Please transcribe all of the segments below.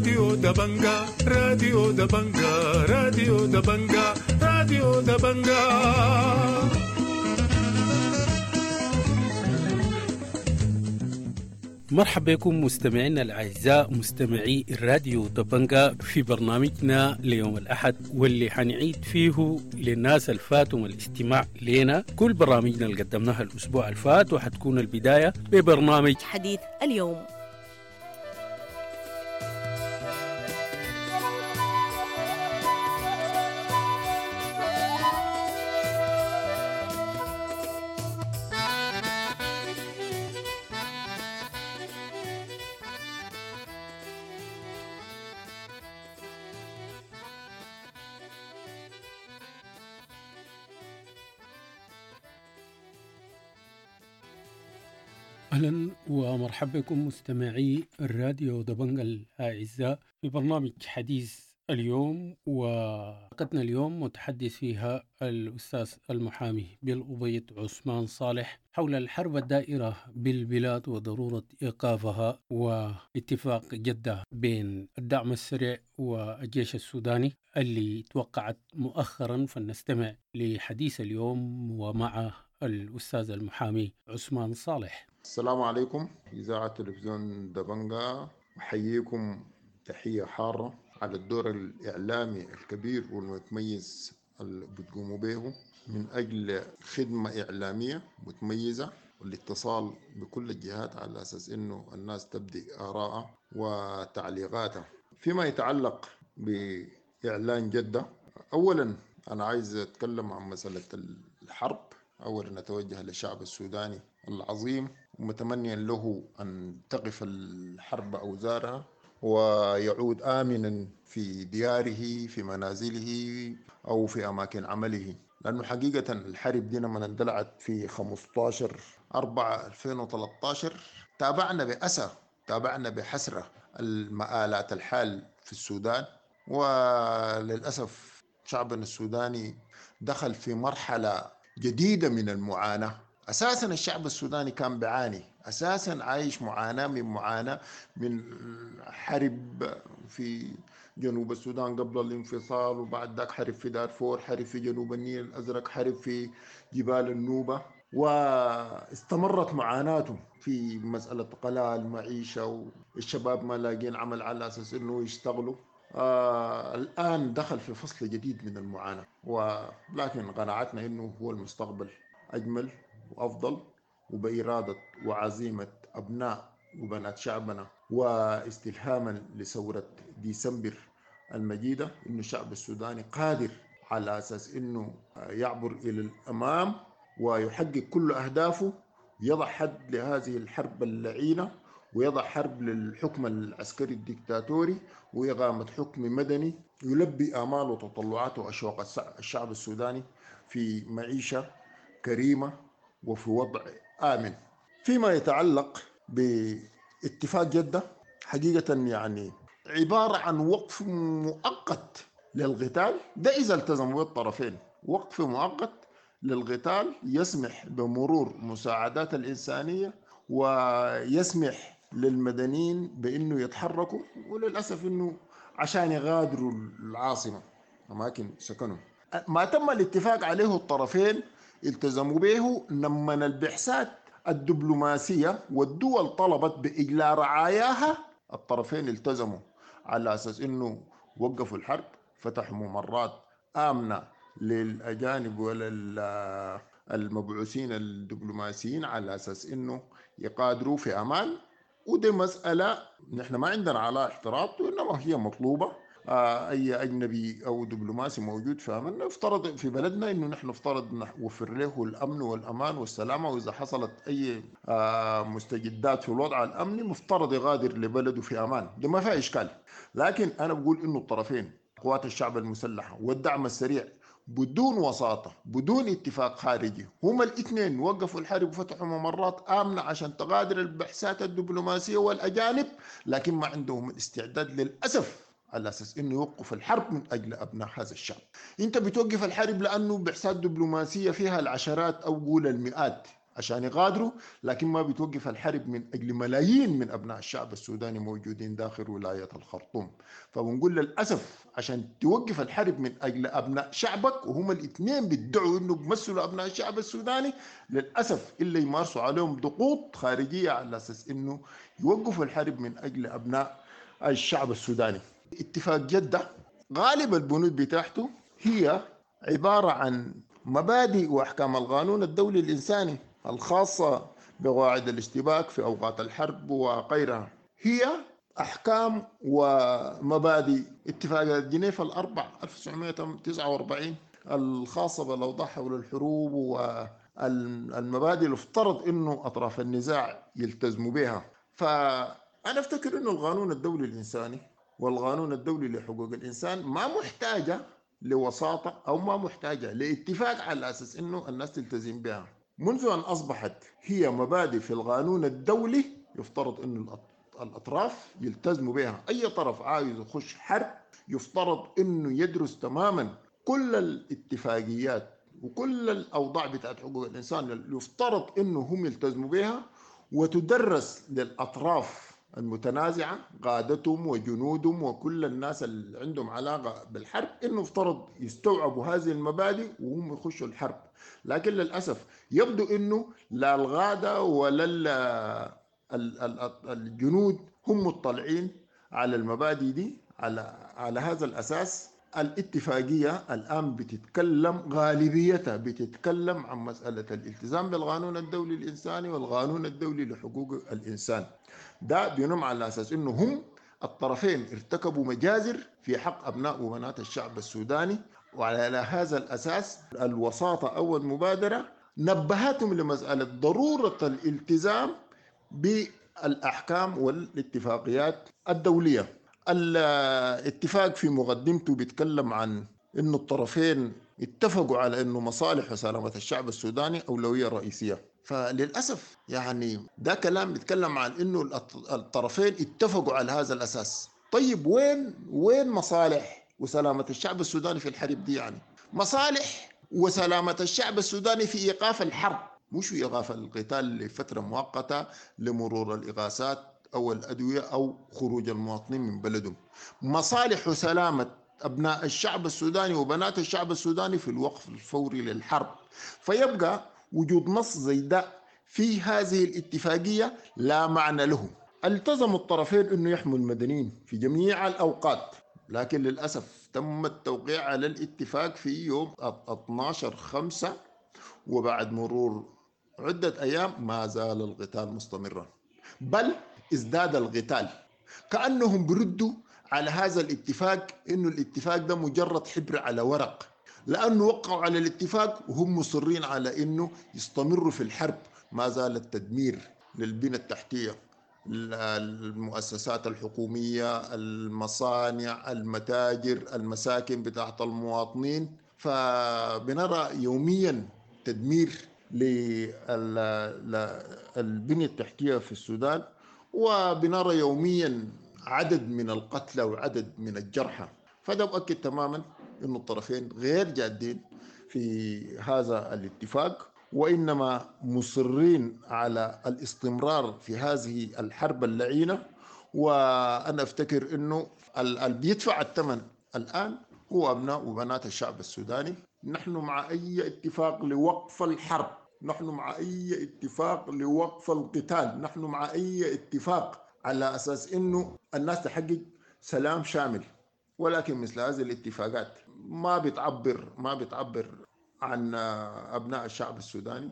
راديو دبنجا، راديو دبنجا، راديو دبنجا، راديو دبنجا. مرحبا بكم مستمعينا الأعزاء مستمعي الراديو دبنجا في برنامجنا ليوم الأحد، واللي حنعيد فيه للناس الفاتهم الاستماع لنا كل برامجنا اللي قدمناها الأسبوع الفات، وحتكون البداية ببرنامج حديث اليوم. أهلا ومرحبا بكم مستمعي الراديو دبنجا الأعزاء في برنامج حديث اليوم، وحلقتنا اليوم متحدث فيها الأستاذ المحامي بالأبيض عثمان صالح حول الحرب الدائرة بالبلاد وضرورة إيقافها واتفاق جدة بين الدعم السريع والجيش السوداني اللي توقعت مؤخرا. فلنستمع لحديث اليوم ومع الأستاذ المحامي عثمان صالح. السلام عليكم إذاعة تلفزيون دبنجا، أحييكم تحية حارة على الدور الإعلامي الكبير والمتميز اللي بتقوموا به من أجل خدمة إعلامية متميزة والاتصال بكل الجهات على أساس إنه الناس تبدي آراءها وتعليقاتها. فيما يتعلق بإعلان جدة، أولا أنا عايز أتكلم عن مسألة الحرب. أولا أتوجه للشعب السوداني العظيم ومتمنيا له أن تقف الحرب أوزارها ويعود آمنا في دياره، في منازله أو في أماكن عمله، لأنه حقيقة الحرب دي لما اندلعت في 15/4/2013 تابعنا بأسى، تابعنا بحسرة المآلات الحال في السودان، وللأسف شعبنا السوداني دخل في مرحلة جديدة من المعاناة. أساساً الشعب السوداني كان بعاني، أساساً عايش معاناة من معاناة من حرب في جنوب السودان قبل الانفصال، وبعد ذاك حرب في دارفور، حرب في جنوب النيل الأزرق، حرب في جبال النوبة، واستمرت معاناته في مسألة قلاء المعيشة والشباب ما لاقين عمل على أساس إنه يشتغلوا. الآن دخل في فصل جديد من المعاناة، ولكن قناعتنا إنه هو المستقبل أجمل وأفضل، وبإرادة وعزيمة أبناء وبنات شعبنا واستلهاما لثورة ديسمبر المجيدة، إنه الشعب السوداني قادر على أساس إنه يعبر إلى الأمام ويحقق كل أهدافه، يضع حد لهذه الحرب اللعينة، ويضع حرب للحكم العسكري الدكتاتوري، وإقامة حكم مدني يلبي آمال وتطلعات وأشواق الشعب السوداني في معيشة كريمة وفي وضع آمن. فيما يتعلق باتفاق جدة، حقيقة يعني عبارة عن وقف مؤقت للقتال، ده إذا التزموا الطرفين، وقف مؤقت للقتال يسمح بمرور مساعدات الإنسانية ويسمح للمدنيين بأنه يتحركوا، وللأسف أنه عشان يغادروا العاصمة أماكن سكنهم. ما تم الاتفاق عليه الطرفين التزموا به لما البعثات الدبلوماسية والدول طلبت بإجلاء رعاياها، الطرفين التزموا على أساس أنه وقفوا الحرب، فتحوا ممرات آمنة للأجانب وللمبعوثين الدبلوماسيين على أساس أنه يقادروا في أمان. ودي مسألة نحن ما عندنا على اعتراض، وإنما هي مطلوبة. أي أجنبي أو دبلوماسي موجود في أمن افترض في بلدنا إنه نحن نفترض نوفر له الأمن والأمان والسلامة، وإذا حصلت أي مستجدات في الوضع الأمني مفترض يغادر لبلده في أمان، ده ما فيها إشكال. لكن أنا بقول إنه الطرفين قوات الشعب المسلحة والدعم السريع بدون وساطة، بدون اتفاق خارجي، هما الاثنين وقفوا الحرب وفتحوا ممرات آمنة عشان تغادر البعثات الدبلوماسية والأجانب، لكن ما عندهم الاستعداد للأسف على أساس إنه يوقف الحرب من أجل أبناء هذا الشعب. أنت بتوقف الحرب لأنه بعثات دبلوماسية فيها العشرات أو قول المئات عشان يغادروا، لكن ما بتوقف الحرب من أجل ملايين من أبناء الشعب السوداني موجودين داخل ولاية الخرطوم. فبنقول للأسف عشان توقف الحرب من أجل أبناء شعبك، وهم الاثنين بيدعوا إنه بيمثلوا أبناء الشعب السوداني، للأسف إلا يمارسوا عليهم ضغوط خارجية على أساس إنه يوقفوا الحرب من أجل أبناء الشعب السوداني. اتفاق جدة غالب البنود بتاعته هي عبارة عن مبادئ وأحكام القانون الدولي الإنساني الخاصة بقواعد الاشتباك في أوقات الحرب وغيرها، هي أحكام ومبادئ اتفاقيات جنيف الأربع 1949 الخاصة بالأوضاع حول الحروب والمبادئ اللي افترض إنه أطراف النزاع يلتزموا بها. فأنا أفتكر إنه القانون الدولي الإنساني والقانون الدولي لحقوق الإنسان ما محتاجة لوساطة أو ما محتاجة لاتفاق على أساس إنه الناس تلتزم بها. منذ أن أصبحت هي مبادئ في القانون الدولي يفترض إنه الأطراف يلتزموا بها. أي طرف عايز يخش حرب يفترض إنه يدرس تماما كل الاتفاقيات وكل الأوضاع بتاعت حقوق الإنسان اللي يفترض إنه هم يلتزموا بها، وتدرس للأطراف المتنازعة قادتهم وجنودهم وكل الناس اللي عندهم علاقة بالحرب إنه افترض يستوعبوا هذه المبادئ وهم يخشوا الحرب. لكن للأسف يبدو إنه لا الغادة ولا الجنود هم مطلعين على المبادئ دي. على هذا الأساس الاتفاقية الآن بتتكلم غالبيتها بتتكلم عن مسألة الالتزام بالقانون الدولي الإنساني والقانون الدولي لحقوق الإنسان. ده بينم على أساس إنه هم الطرفين ارتكبوا مجازر في حق أبناء وبنات الشعب السوداني، وعلى هذا الأساس الوساطة أو المبادرة نبهتهم لمسألة ضرورة الالتزام بالأحكام والاتفاقيات الدولية. الاتفاق في مقدمته بيتكلم عن إنه الطرفين اتفقوا على إنه مصالح وسلامة الشعب السوداني أولوية رئيسية. فللأسف يعني ده كلام بيتكلم عن إنه الطرفين اتفقوا على هذا الأساس. طيب وين مصالح وسلامة الشعب السوداني في الحرب دي؟ يعني مصالح وسلامة الشعب السوداني في إيقاف الحرب، مش في إيقاف القتال لفترة مؤقتة لمرور الإغاثات أو الأدوية أو خروج المواطنين من بلدهم. مصالح وسلامة أبناء الشعب السوداني وبنات الشعب السوداني في الوقف الفوري للحرب. فيبقى وجود نص زي ده في هذه الاتفاقية لا معنى له. التزم الطرفين أنه يحموا المدنيين في جميع الأوقات، لكن للأسف تم التوقيع على الاتفاق في يوم 12/5، وبعد مرور عدة أيام ما زال القتال مستمرا، بل ازداد القتال. كأنهم بردوا على هذا الاتفاق إنه الاتفاق ده مجرد حبر على ورق، لأنه وقعوا على الاتفاق وهم مصرين على إنه يستمروا في الحرب. ما زال التدمير للبنى التحتية، المؤسسات الحكومية، المصانع، المتاجر، المساكن بتاعت المواطنين. فبنرى يوميا تدمير للبنية التحتية في السودان، وبنرى يوميا عدد من القتلى وعدد من الجرحى. فده مؤكد تماما أن الطرفين غير جادين في هذا الاتفاق، وإنما مصرين على الاستمرار في هذه الحرب اللعينة. وأنا أفتكر أنه اللي بيدفع الثمن الآن هو أبناء وبنات الشعب السوداني. نحن مع أي اتفاق لوقف الحرب، نحن مع أي اتفاق لوقف القتال، نحن مع أي اتفاق على أساس أنه الناس تحقق سلام شامل. ولكن مثل هذه الاتفاقات ما بتعبر عن أبناء الشعب السوداني،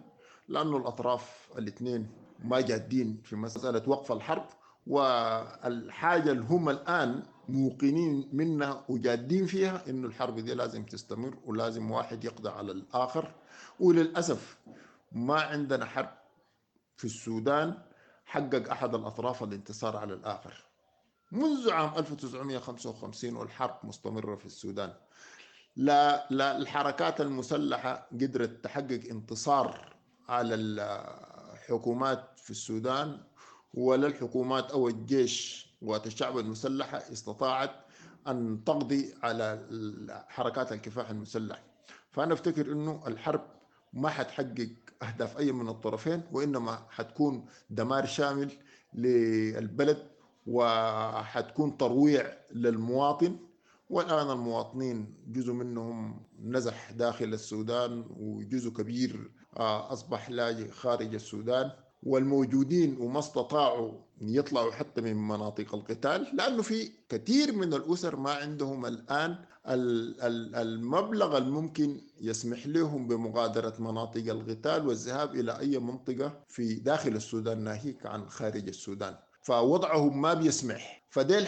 لأنه الأطراف الاثنين ما جادين في مسألة وقف الحرب، والحاجة اللي هم الآن موقنين منها وجادين فيها إنه الحرب دي لازم تستمر ولازم واحد يقضي على الآخر. وللأسف ما عندنا حرب في السودان حقق أحد الأطراف الانتصار على الآخر منذ عام 1955، والحرب مستمرة في السودان. لا الحركات المسلحة قدرت تحقق انتصار على الحكومات في السودان، ولا الحكومات أو الجيش قوات الشعب المسلحة استطاعت أن تقضي على حركات الكفاح المسلح. فأنا أفتكر أنه الحرب ما حتحقق أهداف أي من الطرفين، وإنما حتكون دمار شامل للبلد وحتكون ترويع للمواطن. والآن المواطنين جزء منهم نزح داخل السودان، وجزء كبير أصبح لاجئ خارج السودان، والموجودين وما استطاعوا يطلعوا حتى من مناطق القتال، لأنه في كثير من الأسر ما عندهم الآن المبلغ الممكن يسمح لهم بمغادرة مناطق القتال والذهاب إلى أي منطقة في داخل السودان ناهيك عن خارج السودان، فوضعهم ما بيسمح. فديل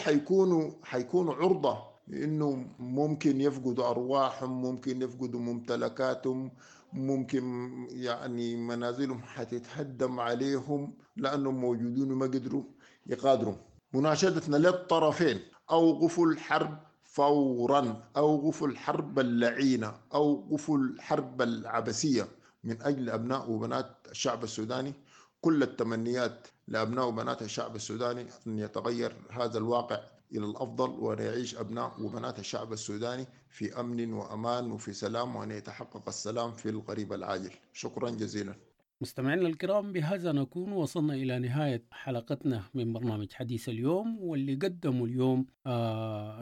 حيكونوا عرضة إنه ممكن يفقدوا أرواحهم، ممكن يفقدوا ممتلكاتهم، ممكن يعني منازلهم حتتهدم عليهم لأنهم موجودين وما قدروا يقادروا. مناشدتنا للطرفين: أوقفوا الحرب فورا، أوقفوا الحرب اللعينة، أوقفوا الحرب العبثية من أجل أبناء وبنات الشعب السوداني. كل التمنيات لأبناء وبنات الشعب السوداني أن يتغير هذا الواقع إلى الأفضل، وأن يعيش أبناء وبنات الشعب السوداني في أمن وأمان وفي سلام، وأن يتحقق السلام في القريب العاجل. شكرا جزيلا. مستمعينا الكرام، بهذا نكون وصلنا إلى نهاية حلقتنا من برنامج حديث اليوم، واللي قدمه اليوم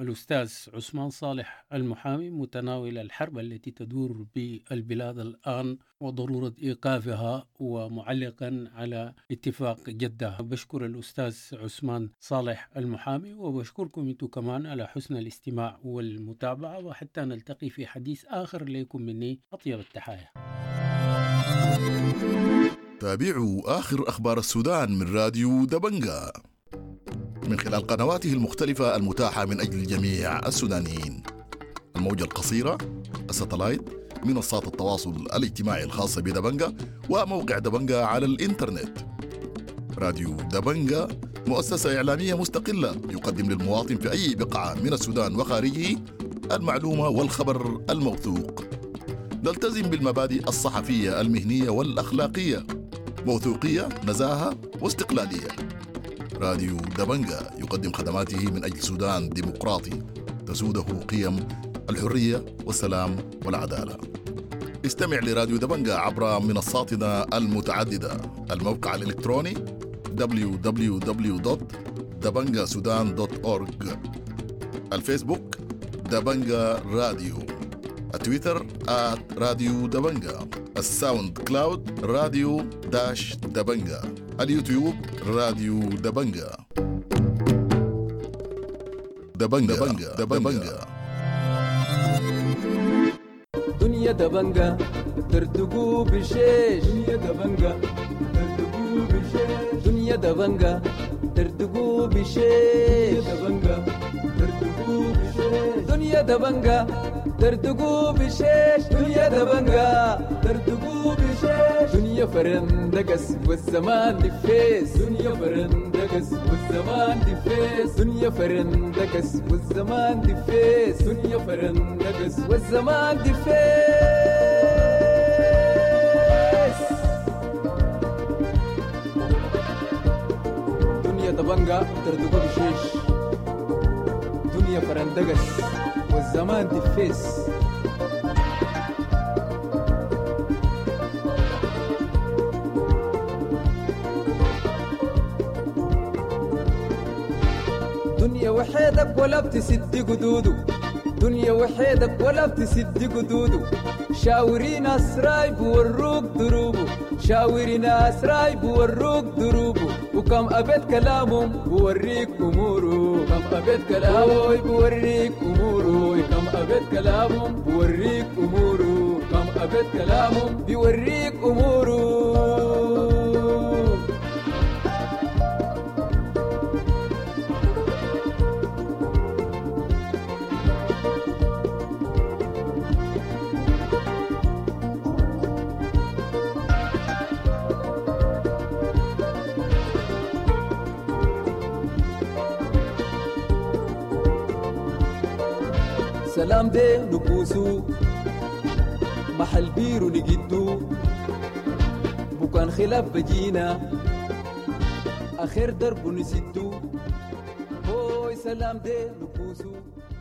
الأستاذ عثمان صالح المحامي، متناول الحرب التي تدور بالبلاد الآن وضرورة إيقافها، ومعلقا على اتفاق جدة. بشكر الأستاذ عثمان صالح المحامي، وبشكركم أنتم كمان على حسن الاستماع والمتابعة، وحتى نلتقي في حديث آخر لكم مني أطيب التحايا. تابعوا آخر أخبار السودان من راديو دبنجا من خلال قنواته المختلفة المتاحة من أجل جميع السودانيين: الموجة القصيرة، الستلايت، منصات التواصل الاجتماعي الخاصة بدبنجا، وموقع دبنجا على الإنترنت. راديو دبنجا مؤسسة إعلامية مستقلة يقدم للمواطن في أي بقعة من السودان وخارجه المعلومة والخبر الموثوق. نلتزم بالمبادئ الصحفية المهنية والأخلاقية، موثوقية، نزاهة، واستقلالية. راديو دبنجا يقدم خدماته من أجل سودان ديمقراطي تسوده قيم الحرية والسلام والعدالة. استمع لراديو دبنجا عبر منصاتنا المتعددة: الموقع الإلكتروني www.dabangasudan.org، الفيسبوك دبنجا راديو، التويتر @راديو دبنجا، الساوند كلاود راديو dash دبنجا، اليوتيوب راديو دبنجا. دبنجا دبنجا دبنجا. دنيا دبنجا ترتقو بشيش، دنيا دبنجا ترتقو بشيش، دنيا دبنجا ترتقو بشيش، دبنجا ترتقو بشيش، دنيا دبنجا ترتقو بشيش، دنيا دبنجا ترتقو بشيش، دنيا فرندقس والزمان دفيس، دنيا فرندقس والزمان دفيس، دنيا فرندقس والزمان دفيس، دنيا فرندقس والزمان دفيس. دنيا دبنجا ترتقو بشيش، دنيا فرندقس والزمان دفيس. دنيا وحيدك ولا بتسد قدوده، دنيا وحيدك ولا بتسد قدوده، شاوري ناس رايب وروك دروبه، شاوري ناس رايب وروك دروبه، وكم أبيت كلامهم بوريك أموره، كم أبيت كلامه بوريك أموره، كم أبيت كلامهم بوريك أموره، كم أبيت كلامهم بيوريك أموره. سلام دي نكوسو محل بيرو نجدو، بكان خلاف بجينا آخر درب نسدو، هوي سلام دي نكوسو.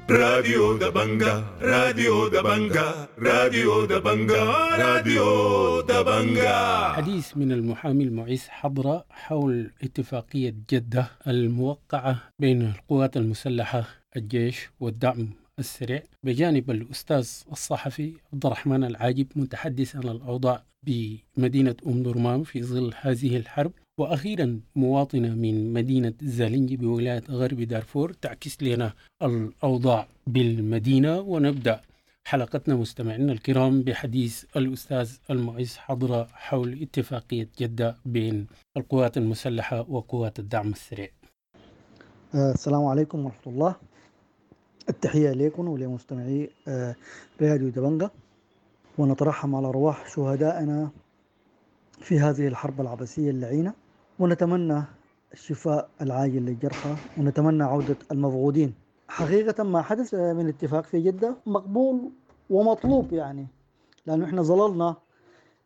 راديو دبنجا، راديو دبنجا، راديو دبنجا، راديو دبنجا. حديث من المحامي المعز حضرة حول اتفاقية جدة الموقعة بين القوات المسلحة الجيش والدعم السريع، بجانب الأستاذ الصحفي عبد الرحمن العاجب متحدث عن الأوضاع بمدينة أم درمان في ظل هذه الحرب، وأخيرا مواطنة من مدينة زالنجي بولاية غرب دارفور تعكس لنا الأوضاع بالمدينة. ونبدأ حلقتنا مستمعينا الكرام بحديث الأستاذ المعز حضرة حول اتفاقية جدة بين القوات المسلحة وقوات الدعم السريع. السلام عليكم ورحمة الله. التحية لكم ولمستمعي راديو دبنجة، ونترحم على أرواح شهدائنا في هذه الحرب العبثية اللعينة، ونتمنى الشفاء العاجل للجرحى، ونتمنى عودة المفقودين. حقيقة ما حدث من اتفاق في جدة مقبول ومطلوب، يعني لأنه إحنا ظللنا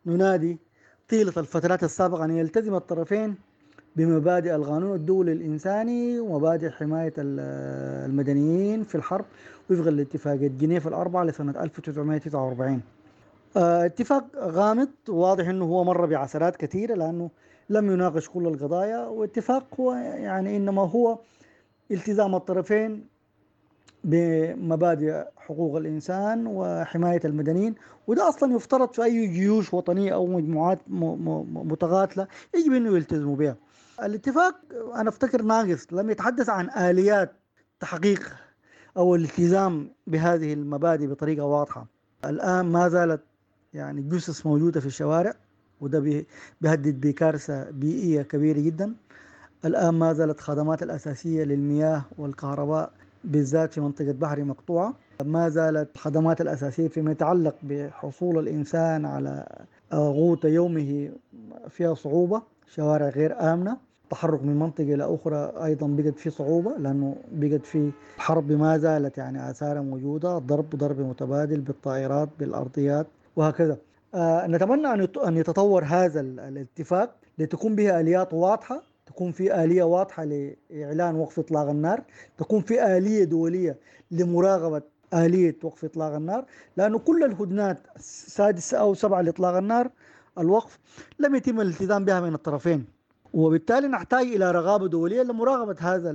ننادي طيلة الفترات السابقة أن يلتزم الطرفين بمبادئ القانون الدولي الإنساني ومبادئ حماية المدنيين في الحرب وفق الاتفاقية جنيف الأربعة لسنة 1949. اتفاق غامض، واضح أنه هو مر بعثرات كثيرة لأنه لم يناقش كل القضايا، واتفاق هو يعني إنما هو التزام الطرفين بمبادئ حقوق الإنسان وحماية المدنيين، وده أصلا يفترض في أي جيوش وطنية أو مجموعات متقاتلة يجب أنه يلتزموا بها. الاتفاق أنا أفتكر ناقص، لم يتحدث عن آليات تحقيق أو الالتزام بهذه المبادئ بطريقة واضحة. الآن ما زالت يعني جثث موجودة في الشوارع، وده بيهدد بكارثة بيئية كبيرة جدا. الآن ما زالت خدمات الأساسية للمياه والكهرباء بالذات في منطقة بحري مقطوعة. ما زالت الخدمات الأساسية فيما يتعلق بحصول الإنسان على غوت يومه فيها صعوبة، شوارع غير آمنة، التحرك من منطقة إلى أخرى أيضا بقت في صعوبة لأنه بقت في حرب ما زالت يعني آثارها موجودة، ضرب متبادل بالطائرات بالأرضيات وهكذا. نتمنى أن يتطور هذا الاتفاق لتكون به آليات واضحة، تكون في آلية واضحة لإعلان وقف إطلاق النار، تكون في آلية دولية لمراقبة آلية وقف إطلاق النار، لأنه كل الهدنات السادسة أو 7 لإطلاق النار الوقف لم يتم الالتزام بها من الطرفين، وبالتالي نحتاج إلى رغابة دولية لمراقبة هذا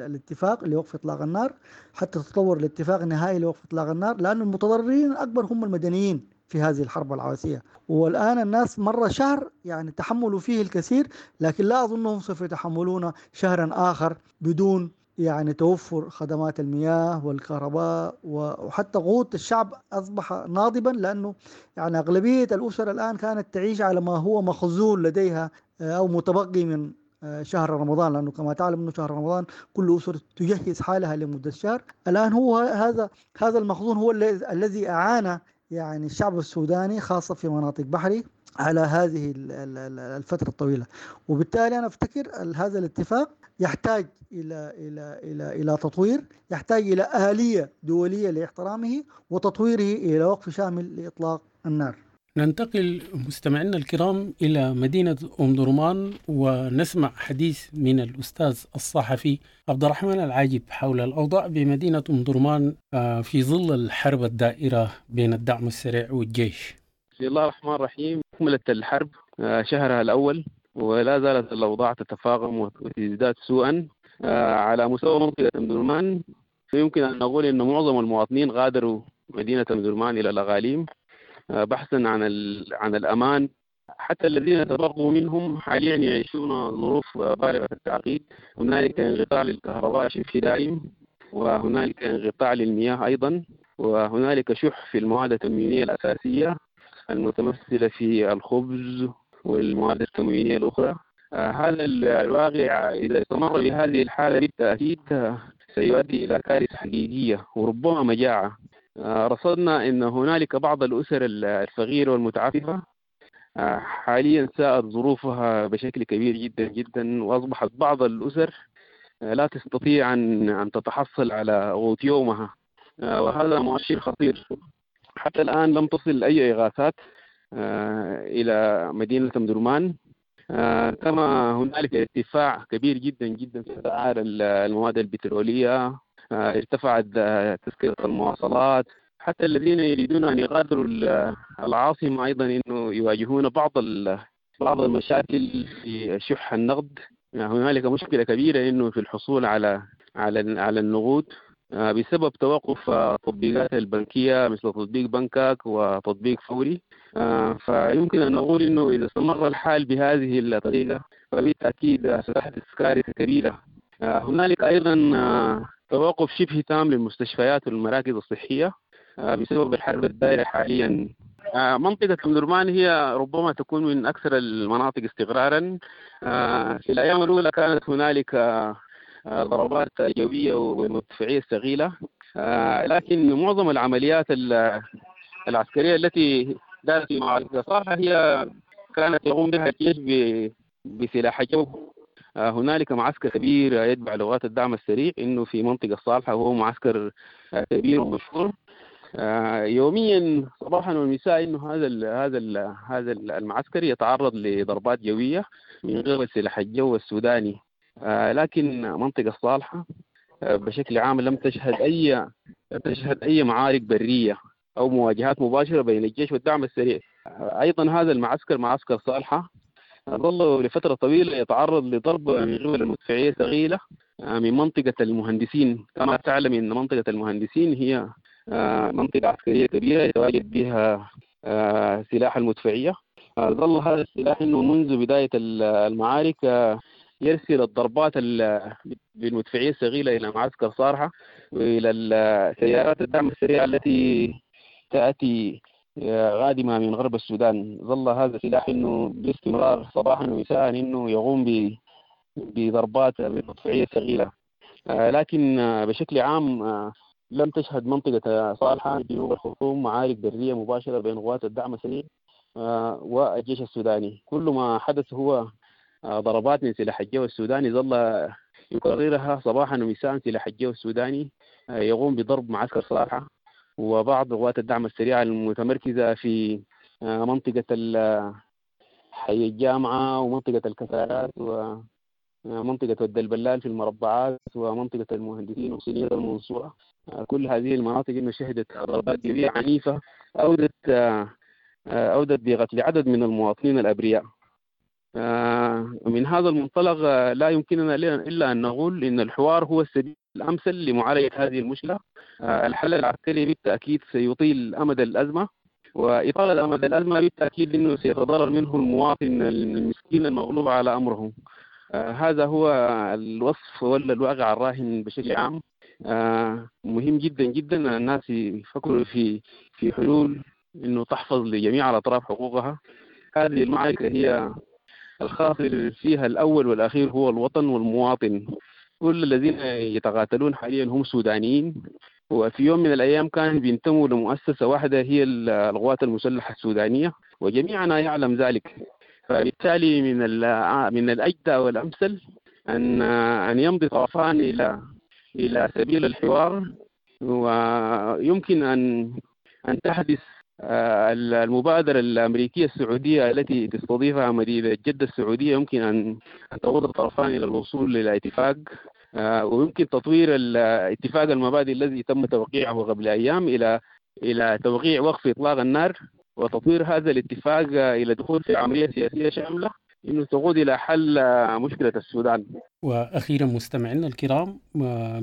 الاتفاق لوقف إطلاق النار حتى تتطور الاتفاق النهائي لوقف إطلاق النار، لأن المتضررين الأكبر هم المدنيين في هذه الحرب العبثية. والآن الناس مرة شهر يعني تحملوا فيه الكثير، لكن لا أظنهم سوف يتحملون شهرا آخر بدون يعني توفر خدمات المياه والكهرباء، وحتى قوت الشعب أصبح ناضبا، لأنه يعني أغلبية الأسر الآن كانت تعيش على ما هو مخزون لديها أو متبقي من شهر رمضان، لأنه كما تعلم أنه شهر رمضان كل أسرة تجهز حالها لمدة شهر. الآن هو هذا المخزون هو الذي أعان يعني الشعب السوداني خاصة في مناطق بحري على هذه الفترة الطويلة، وبالتالي أنا أفتكر هذا الاتفاق يحتاج إلى إلى إلى إلى تطوير، يحتاج إلى آلية دولية لاحترامه وتطويره إلى وقف شامل لإطلاق النار. ننتقل مستمعينا الكرام إلى مدينة أم درمان ونسمع حديث من الأستاذ الصحفي عبد الرحمن العاجب حول الأوضاع بمدينة أم درمان في ظل الحرب الدائرة بين الدعم السريع والجيش. بسم الله الرحمن الرحيم. أكملت الحرب شهرها الأول ولا زالت الأوضاع تتفاقم وتزداد سوءا على مستوى منطقة أم درمان. يمكن أن نقول أن معظم المواطنين غادروا مدينة أم درمان إلى الأغاليم بحثا عن الأمان. حتى الذين تبقوا منهم حاليا يعيشون ظروف بالغة التعقيد. هنالك انقطاع للكهرباء شبه دائم، وهنالك انقطاع للمياه أيضا، وهنالك شح في المواد التموينية الأساسية المتمثلة في الخبز والمواد التموينية الأخرى. هذا الواقع إذا استمر بهذه الحالة بالتأكيد سيؤدي إلى كارثة حقيقية وربما مجاعة. رصدنا أن هنالك بعض الأسر الفقيرة والمتعففة حاليا ساءت ظروفها بشكل كبير جدا جدا، وأصبحت بعض الأسر لا تستطيع أن تتحصل على قوت يومها، وهذا مؤشر خطير. حتى الآن لم تصل أي إغاثات إلى مدينة أم درمان، كما هنالك ارتفاع كبير جدا جدا في أسعار المواد البترولية، ارتفعت تذكرة المواصلات. حتى الذين يريدون أن يغادروا العاصمة أيضا أنه يواجهون بعض المشاكل في شح النقد. هنالك مشكلة كبيرة أنه في الحصول على على على النقود بسبب توقف التطبيقات البنكية مثل تطبيق بنكك وتطبيق فوري. فيمكن أن نقول أنه إذا استمر الحال بهذه الطريقة فبالتأكيد ستحدث كارثة كبيرة. هنالك أيضا توقف شبه تام للمستشفيات والمراكز الصحية بسبب الحرب الدائرة حاليا. منطقة أم درمان هي ربما تكون من أكثر المناطق استقرارا. في الأيام الأولى كانت هنالك ضربات جوية ومدفعية ثقيلة، لكن معظم العمليات العسكرية التي دارت في معركة صالحة هي كانت يقوم بها الجيش بسلاح الجو. هنالك معسكر كبير يتبع لغات الدعم السريع انه في منطقة صالحة، وهو معسكر كبير ومشهور. يوميا صباحا ومساء انه هذا المعسكر يتعرض لضربات جوية من قبل سلاح الجو السوداني. لكن منطقة صالحة بشكل عام لم تشهد اي معارك برية او مواجهات مباشرة بين الجيش والدعم السريع. ايضا هذا المعسكر، معسكر صالحة، ظل لفترة طويلة يتعرض لضرب من قبل المدفعية الثقيلة من منطقة المهندسين. كما تعلم أن منطقة المهندسين هي منطقة عسكرية كبيرة يتواجد بها سلاح المدفعية. ظل هذا السلاح أنه منذ بداية المعارك يرسل الضربات بالمدفعية الثقيلة إلى معسكر صالحة وإلى سيارات الدعم السريع التي تأتي غادمة من غرب السودان. ظل هذا السلاح انه باستمرار صباحا ومساء انه يقوم بضربات بالمدفعية الثقيلة. لكن بشكل عام لم تشهد منطقة صالحة جنوب الخرطوم معارك برية مباشرة بين قوات الدعم السريع والجيش السوداني. كل ما حدث هو ضربات من سلاح الجو السوداني ظل يكررها صباحا ومساء. سلاح الجو السوداني يقوم بضرب معسكر صالحة وبعض قوات الدعم السريع المتمركزة في منطقة حي الجامعة ومنطقة الكثارات ومنطقة ود البلال في المربعات ومنطقة المهندسين وصينية المنصورة. كل هذه المناطق إنه شهدت ضربات جوية عنيفة أودت بقتل عدد من المواطنين الأبرياء. من هذا المنطلق لا يمكننا إلا أن نقول إن الحوار هو السبيل الأمثل لمعالجة هذه المشكلة. الحل العسكري بالتأكيد سيطيل أمد الأزمة، وإطالة أمد الأزمة بالتأكيد أنه سيتضرر منه المواطن المسكين المغلوب على أمره. هذا هو الوصف ولا الواقع الراهن بشكل عام. مهم جدا جدا الناس يفكروا في حلول أنه تحفظ لجميع الأطراف حقوقها. هذه المعركة هي الخاسر فيها الأول والأخير هو الوطن والمواطن. كل الذين يتقاتلون حاليا هم سودانيين، وفي يوم من الأيام كانوا بينتموا لمؤسسة واحدة هي القوات المسلحة السودانية، وجميعنا يعلم ذلك. فبالتالي من الأجدى والأمثل أن يمضي طرفان إلى سبيل الحوار، ويمكن أن تحدث المبادرة الأمريكية السعودية التي تستضيفها مدينة جدة السعودية، يمكن أن تقود الطرفان إلى الوصول إلى اتفاق، ويمكن تطوير الاتفاق المبادئ الذي تم توقيعه قبل أيام إلى توقيع وقف إطلاق النار، وتطوير هذا الاتفاق إلى دخول في عملية سياسية شاملة إنه تقود إلى حل مشكلة السودان. وأخيرا مستمعينا الكرام،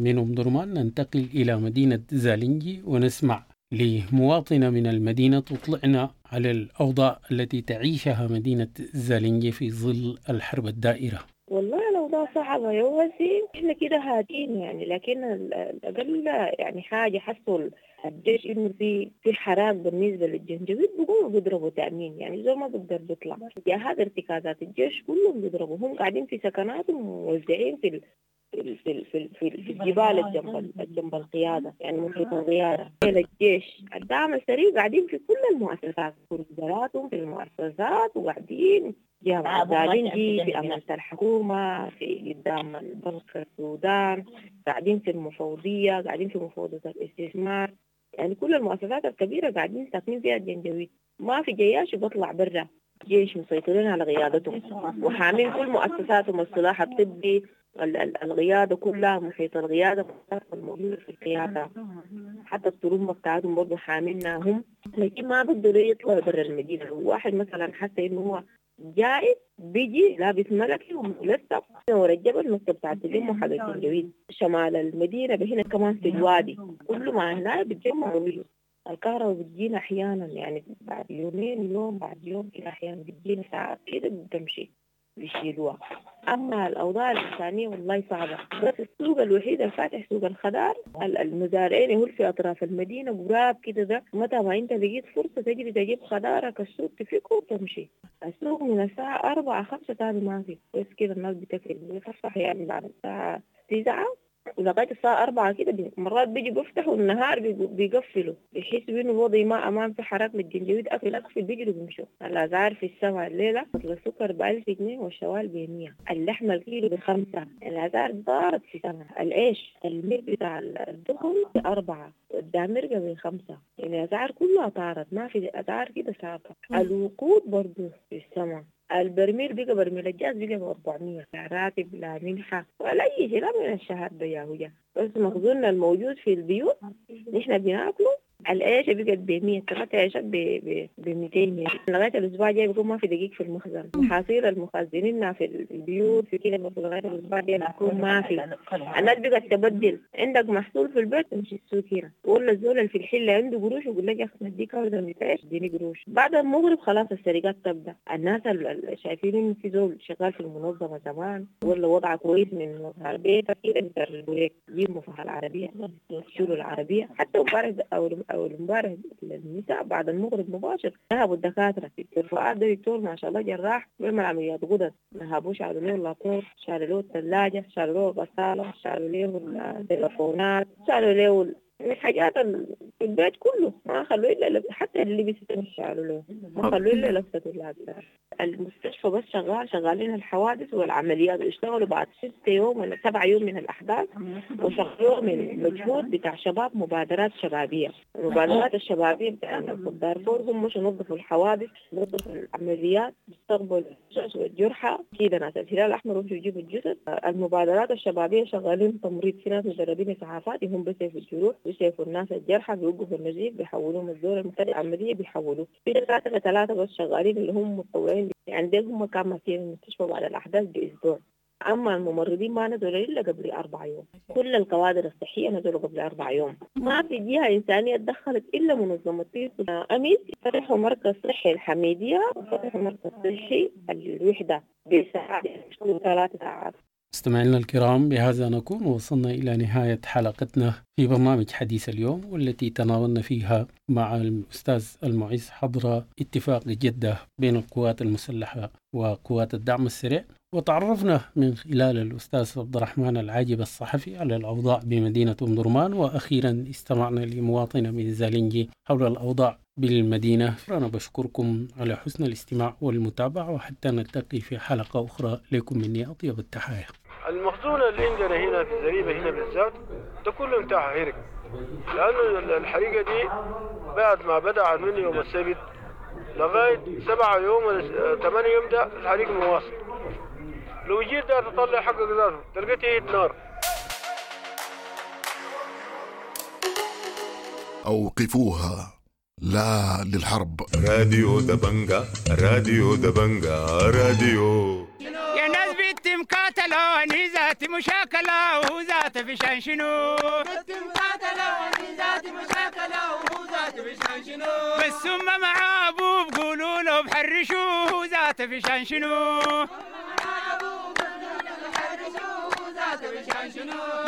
من أم درمان ننتقل إلى مدينة زالنجي ونسمع لمواطنة من المدينة تطلعنا على الأوضاع التي تعيشها مدينة زالنجي في ظل الحرب الدائرة. والله الأوضاع صعبة يا وزي، إحنا كده هادين يعني، لكن الأقل يعني حاجة حصل الجيش إنه في حراك بالنسبة للجنجويد بيقوموا بيضربوا تأمين، يعني زي ما بيقدر بيطلع جهات ارتكازات الجيش كلهم بيضربوا، هم قاعدين في سكناتهم وموزعين في في في في الجبال جنب القيادة، يعني محيط القيادة. الجيش الدعم السريع قاعدين في كل المؤسسات، في وزاراتهم، في المؤسسات، وقاعدين جامعة زالنجي، في أمانة الحكومة، في قدام البنك السودان، قاعدين في المفوضية، قاعدين في مفوضية الاستثمار، يعني كل المؤسسات الكبيرة قاعدين ساكنين فيها الجنجويد. ما في جياش بطلع برا، جيش مسيطرين على قيادتهم وحامين كل مؤسساتهم، السلاح الطبي، القيادة كلها، محيط القيادة الموجودة في القيادة، حتى الطرمبة بتاعتهم برضه حامينها هم، لكن ما بيقدروا يطلعوا برا المدينة. لو واحد مثلا حس إنه هو جائز بيجي لابس ملكي وملثم ورا الجبل، نقطة بتاعت اليوم وحاجة الجويد شمال المدينة هنا كمان في الوادي، كل ما هنا بيتجمعوا بيجوا. الكهرباء بتجينا أحيانا يعني بعد يومين، يوم بعد يوم كده، أحيانا بتجينا ساعات كده بتمشي بيشيلوها. أما الأوضاع الإنسانية والله صعبة، بس السوق الوحيد الفاتح سوق الخضار، المزارعين هو في أطراف المدينة قراب كده، ده متى ما أنت لقيت فرصة تجري تجيب خضارك السوق تفكه وتمشي. السوق من الساعة 4 5 تاني ما في، بس كده الناس بتفك بتفتح يعني بعد الساعة 9 ولغاية الساعة 4 كده، مرات بيجي بيفتحوا النهار بيقفلوا، بيحسوا إنه الوضع ما أمان في حراك للجنجويد، أقفل أقفل بيجروا بيمشوا. الأسعار في السماء الليلة، السكر ب1000 جنيه والشوال ب100، اللحمة الكيلو ب5، الأسعار ضارت في السماء. العيش الميل بتاع الدخن ب4 والدامرقة ب5، يعني الأسعار كلها طارت، ما في أسعار كده ثابتة. الوقود برضو في السماء، البرميل بقى برميل الجاز بقى ب400، لا راتب لا منحة ولا أي شيء، لا من الشهر ده يا هجا، بس مخزوننا الموجود في البيوت نحن بناكله. العيشة بقت ب100، 3 عيشات ب200 جنيه، لغاية الأسبوع الجاي بيكون ما في دقيق في المخزن، محاصيل المخزنين في البيوت في كده لغاية الأسبوع الجاي بيكون ما في. الناس بقت تبدل، عندك محصول في البيت تمشي السوق هنا، ولا الزول اللي في الحلة عنده قروش يقول لك يا أخي نديك هذا عيش اديني قروش. بعد المغرب خلاص السرقات تبدأ، الناس اللي شايفين إنه في زول شغال في المنظمة زمان ولا وضعه كويس من البيت كده بيسرقوا لك، يجيبوا مفاهيم العربية، يشيلوا العربية. حتى امبارح أو امبارح النساء بعد المغرب مباشر ذهبوا الدكاترة، دكتور فؤاد ده دكتور ما شاء الله جراح بيعمل عمليات غدد، ذهبوا شالوا له اللابتوب، شالوا له الثلاجة، شالوا له الغسالة، شالوا له التليفونات، شالوا له الحاجات في البيت كله، ما خلوه إلا حتى اللبس شالوا له، ما خلوه إلا لبسة اللابسة. المستشفى بس شغالين الحوادث والعمليات، اشتغلوا بعد 6 يوم ولا 7 يوم من الأحداث، وشغلوا من مجهود بتاع شباب، مبادرات شبابية. المبادرات الشبابية بتاع دارفور هم مش ينظفوا الحوادث، ينظفوا العمليات، يستقبلوا الجثث والجرحى كده، ناس الهلال الأحمر يمشوا يجيبوا الجثث. المبادرات الشبابية شغالين تمريض، في ناس مدربين إسعافات هم بيسيفوا الجروح، بيسيفوا الناس الجرحى، بيوقفوا النزيف، بيحولوهم الزول المحتاج العملية بيحولوه. في 3 بس شغالين اللي هم متطوعين، يعني دول هم كانوا ماسكين المستشفى بعد الأحداث بأسبوع. أما الممرضين ما نزلوا إلا قبل 4 يوم، كل الكوادر الصحية نزلوا قبل 4 يوم، ما في جهة إنسانية تدخلت إلا منظمة أميس. فتحوا مركز صحي الحميدية وفتحوا مركز صحي الوحدة بساعات 3 ساعات. مستمعينا الكرام، بهذا نكون وصلنا إلى نهاية حلقتنا في برنامج حديث اليوم، والتي تناولنا فيها مع الأستاذ المعز حضرة اتفاق جدة بين القوات المسلحة وقوات الدعم السريع، وتعرفنا من خلال الأستاذ عبد الرحمن العاجب الصحفي على الأوضاع بمدينة أم درمان، وأخيرا استمعنا لمواطنة من زالنجي حول الأوضاع بالمدينة. أنا بشكركم على حسن الاستماع والمتابعة، وحتى نلتقي في حلقة أخرى، لكم مني أطيب التحايا. المخزون اللي عندنا هنا في الزريبة هنا بالذات ده كله انتهى هرق، لأنه الحريقة دي بعد ما بدأ من يوم السبت لغاية 7 يوم ولا 8 يوم ده الحريق مواصل. لو جيت ده تطلع حقك ذاته تلقيت نار. أوقفوها، لا للحرب. راديو دبنجا، راديو دبنجا، راديو يا ناس بنت مقاتلة ذات مشاكلة وذات فشان شنو، بنت مقاتلة ذات مشاكلة وذات فشان شنو، بس هم مع أبوه بقولوا له بحرشوه ذات فشان شنو،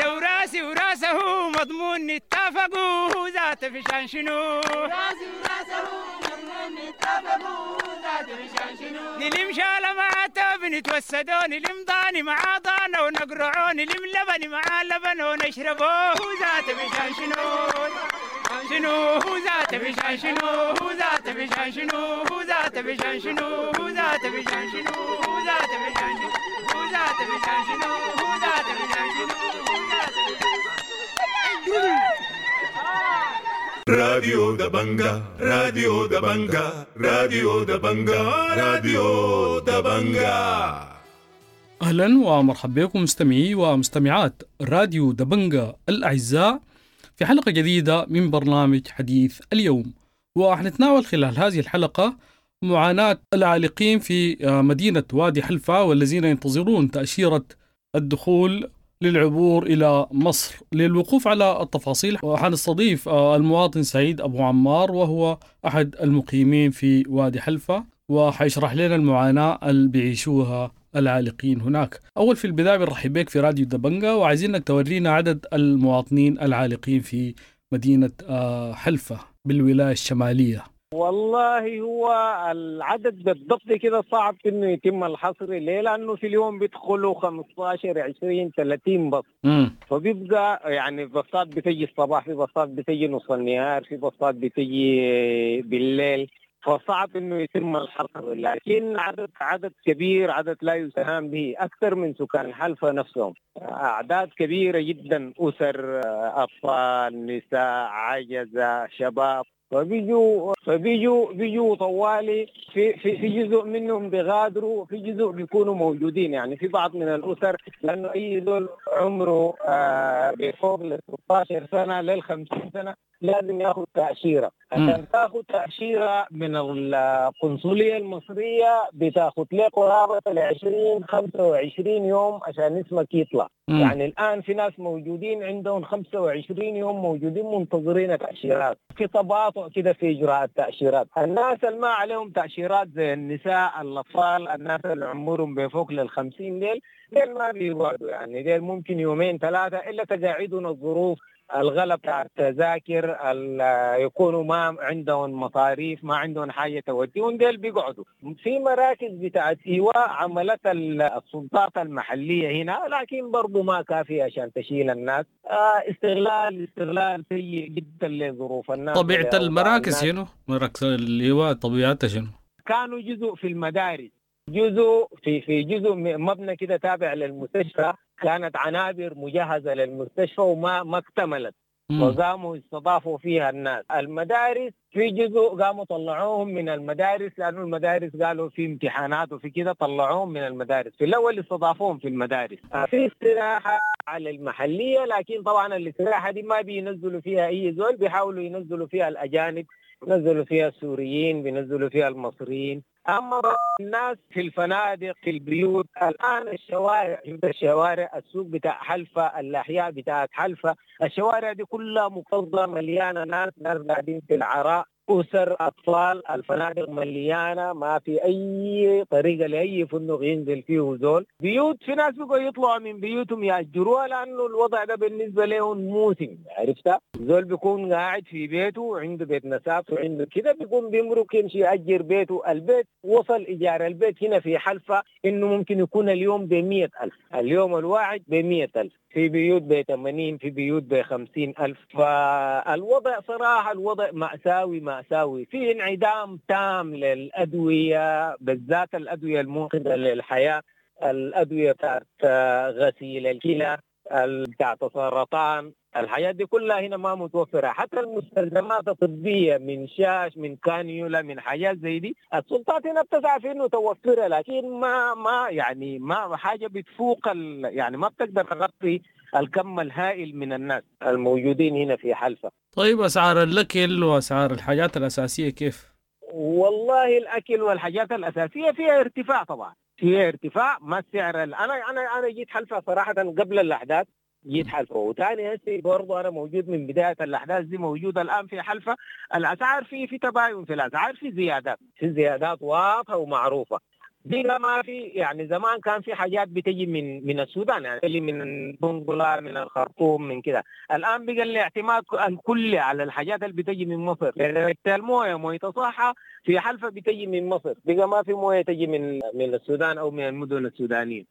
لو راسي وراسه مضمون نتفقوا ذات فشان شنو، راسي وراسه مضمون نتفقوا ذات فشان شنو، نلم شالة مع تاب نتوسدوا، نلم ضاني مع ضانا ونقرعوا، نلم لبن مع لبن ونشربوه ذات فشان شنو، شنو ذات فشان شنو، ذات فشان شنو، ذات فشان شنو، ذات فشان شنو، ذات فشان شنو، ذات فشان شنو، ذات فشان شنو. راديو دبنجا، راديو دبنجا، راديو دبنجا، راديو دبنجا. أهلا ومرحبا بكم مستمعي ومستمعات راديو دبنجا الأعزاء في حلقة جديدة من برنامج حديث اليوم. وحنتناول خلال هذه الحلقة معاناة العالقين في مدينة وادي حلفا والذين ينتظرون تأشيرة الدخول للعبور إلى مصر. للوقوف على التفاصيل حنستضيف المواطن سعيد أبو عمار، وهو أحد المقيمين في وادي حلفا، وحيشرح لنا المعاناة اللي بيعيشوها العالقين هناك. أول في البداية بنرحب بك في راديو دبنجا، وعايزينك تورينا عدد المواطنين العالقين في مدينة حلفا بالولاية الشمالية. والله هو العدد بالضبط كده صعب انه يتم الحصر. ليه؟ لانه في اليوم بيدخلوا 15 20 30 بص. فبيبقى يعني بصات بتجي الصباح، في بصات بتجي نص النهار، في بصات بتجي بالليل، فصعب انه يتم الحصر. لكن عدد كبير، عدد لا يستهان به، اكثر من سكان حلفا نفسهم، اعداد كبيره جدا، اسر، اطفال، نساء، عجزه، شباب. فبيجوا طوالي، في في في جزء منهم بيغادروا، في جزء بيكونوا موجودين. يعني في بعض من الاسر، لانه اي زول عمره بفوق ال 16 سنه لل 50 سنه لازم ياخذ تاشيره. عشان تاخذ تاشيره من القنصليه المصريه بتاخذ لك قرابه ال 20 25 يوم عشان اسمك يطلع. يعني الان في ناس موجودين عندهم 25 يوم موجودين منتظرين تاشيرات. في تباطؤ كده في اجراء التاشيرات. الناس اللي ما عليهم تاشيرات زي النساء، الاطفال، الناس اللي عمرهم بفوق لل 50 ديل ما بيقعدوا، يعني ديل ممكن يومين ثلاثه الا تقاعدهم الظروف، الغلب بتاع التذاكر، يكونوا ما عندهم مصاريف، ما عندهم حاجه توديهم، ديل بيقعدوا في مراكز بتاعت ايواء عملتها السلطات المحليه هنا، لكن برضه ما كافيه عشان تشيل الناس. استغلال سيء جدا لظروف الناس. طبيعه المراكز شنو؟ مراكز الايواء طبيعتها شنو؟ كانوا جزء في المدارس، جزء في جزء مبنى كده تابع للمستشفى، كانت عنابر مجهزة للمستشفى وما اكتملت، وقاموا استضافوا فيها الناس. المدارس في جزء قاموا طلعوهم من المدارس، لأنه المدارس قالوا في امتحانات وفي كده، طلعوهم من المدارس. في الأول استضافوهم في المدارس. في استراحة على المحلية، لكن طبعا الاستراحة دي ما بينزلوا فيها أي زول، بيحاولوا ينزلوا فيها الأجانب، بينزلوا فيها السوريين، بينزلوا فيها المصريين. أما الناس في الفنادق، في البيوت، الآن الشوارع، السوق بتاع حلفا، الأحياء بتاعت حلفا، الشوارع دي كلها مكتظة مليانة ناس قاعدين في العراء، أسر، أطفال، الفنادق مليانة، ما في أي طريقة لأي فندق ينزل فيه زول. بيوت، في ناس بقوا يطلعوا من بيوتهم يأجروها، لأنه الوضع ده بالنسبة لهم موسم، عرفتها؟ زول بيكون قاعد في بيته وعنده بيت نسابته وعنده كده، بيكون بيمرق يمشي يأجر بيته. البيت وصل إيجار البيت هنا في حلفا إنه ممكن يكون اليوم ب100,000، اليوم الواحد ب100,000، في بيوت ب80، في بيوت ب50,000. فالوضع صراحة الوضع مأساوي مأساوي، في انعدام تام للأدوية، بالذات الأدوية المنقذة للحياة، الأدوية بتاعت غسيل الكلى، بتاعت السرطان، الحاجات دي كلها هنا ما متوفرة. حتى المستلزمات الطبية من شاش، من كانيولا، من حاجات زي دي، السلطات هنا بتسعى في انه توفرها، لكن ما يعني ما حاجة بتفوق يعني ما بتقدر تغطي الكم الهائل من الناس الموجودين هنا في حلفا. طيب أسعار الأكل وأسعار الحاجات الأساسية كيف؟ والله الأكل والحاجات الأساسية فيها ارتفاع، طبعا فيها ارتفاع. ما السعر أنا جيت حلفا صراحة قبل الأحداث، جيت حلفا، وثاني هسه برضه انا موجود من بدايه الاحداث دي، موجود الان في حلفا. الاسعار في تباين في الاسعار، في زيادات واضحه ومعروفه. دي ما في، يعني زمان كان في حاجات بتجي من السودان، يعني اللي من بنغلا، من الخرطوم، من كده. الان بقى الاعتماد الكلي على الحاجات اللي بتجي من مصر. المويه، مويه صحه في حلفا بتجي من مصر، بقى ما في مويه تجي من السودان او من المدن السودانيه.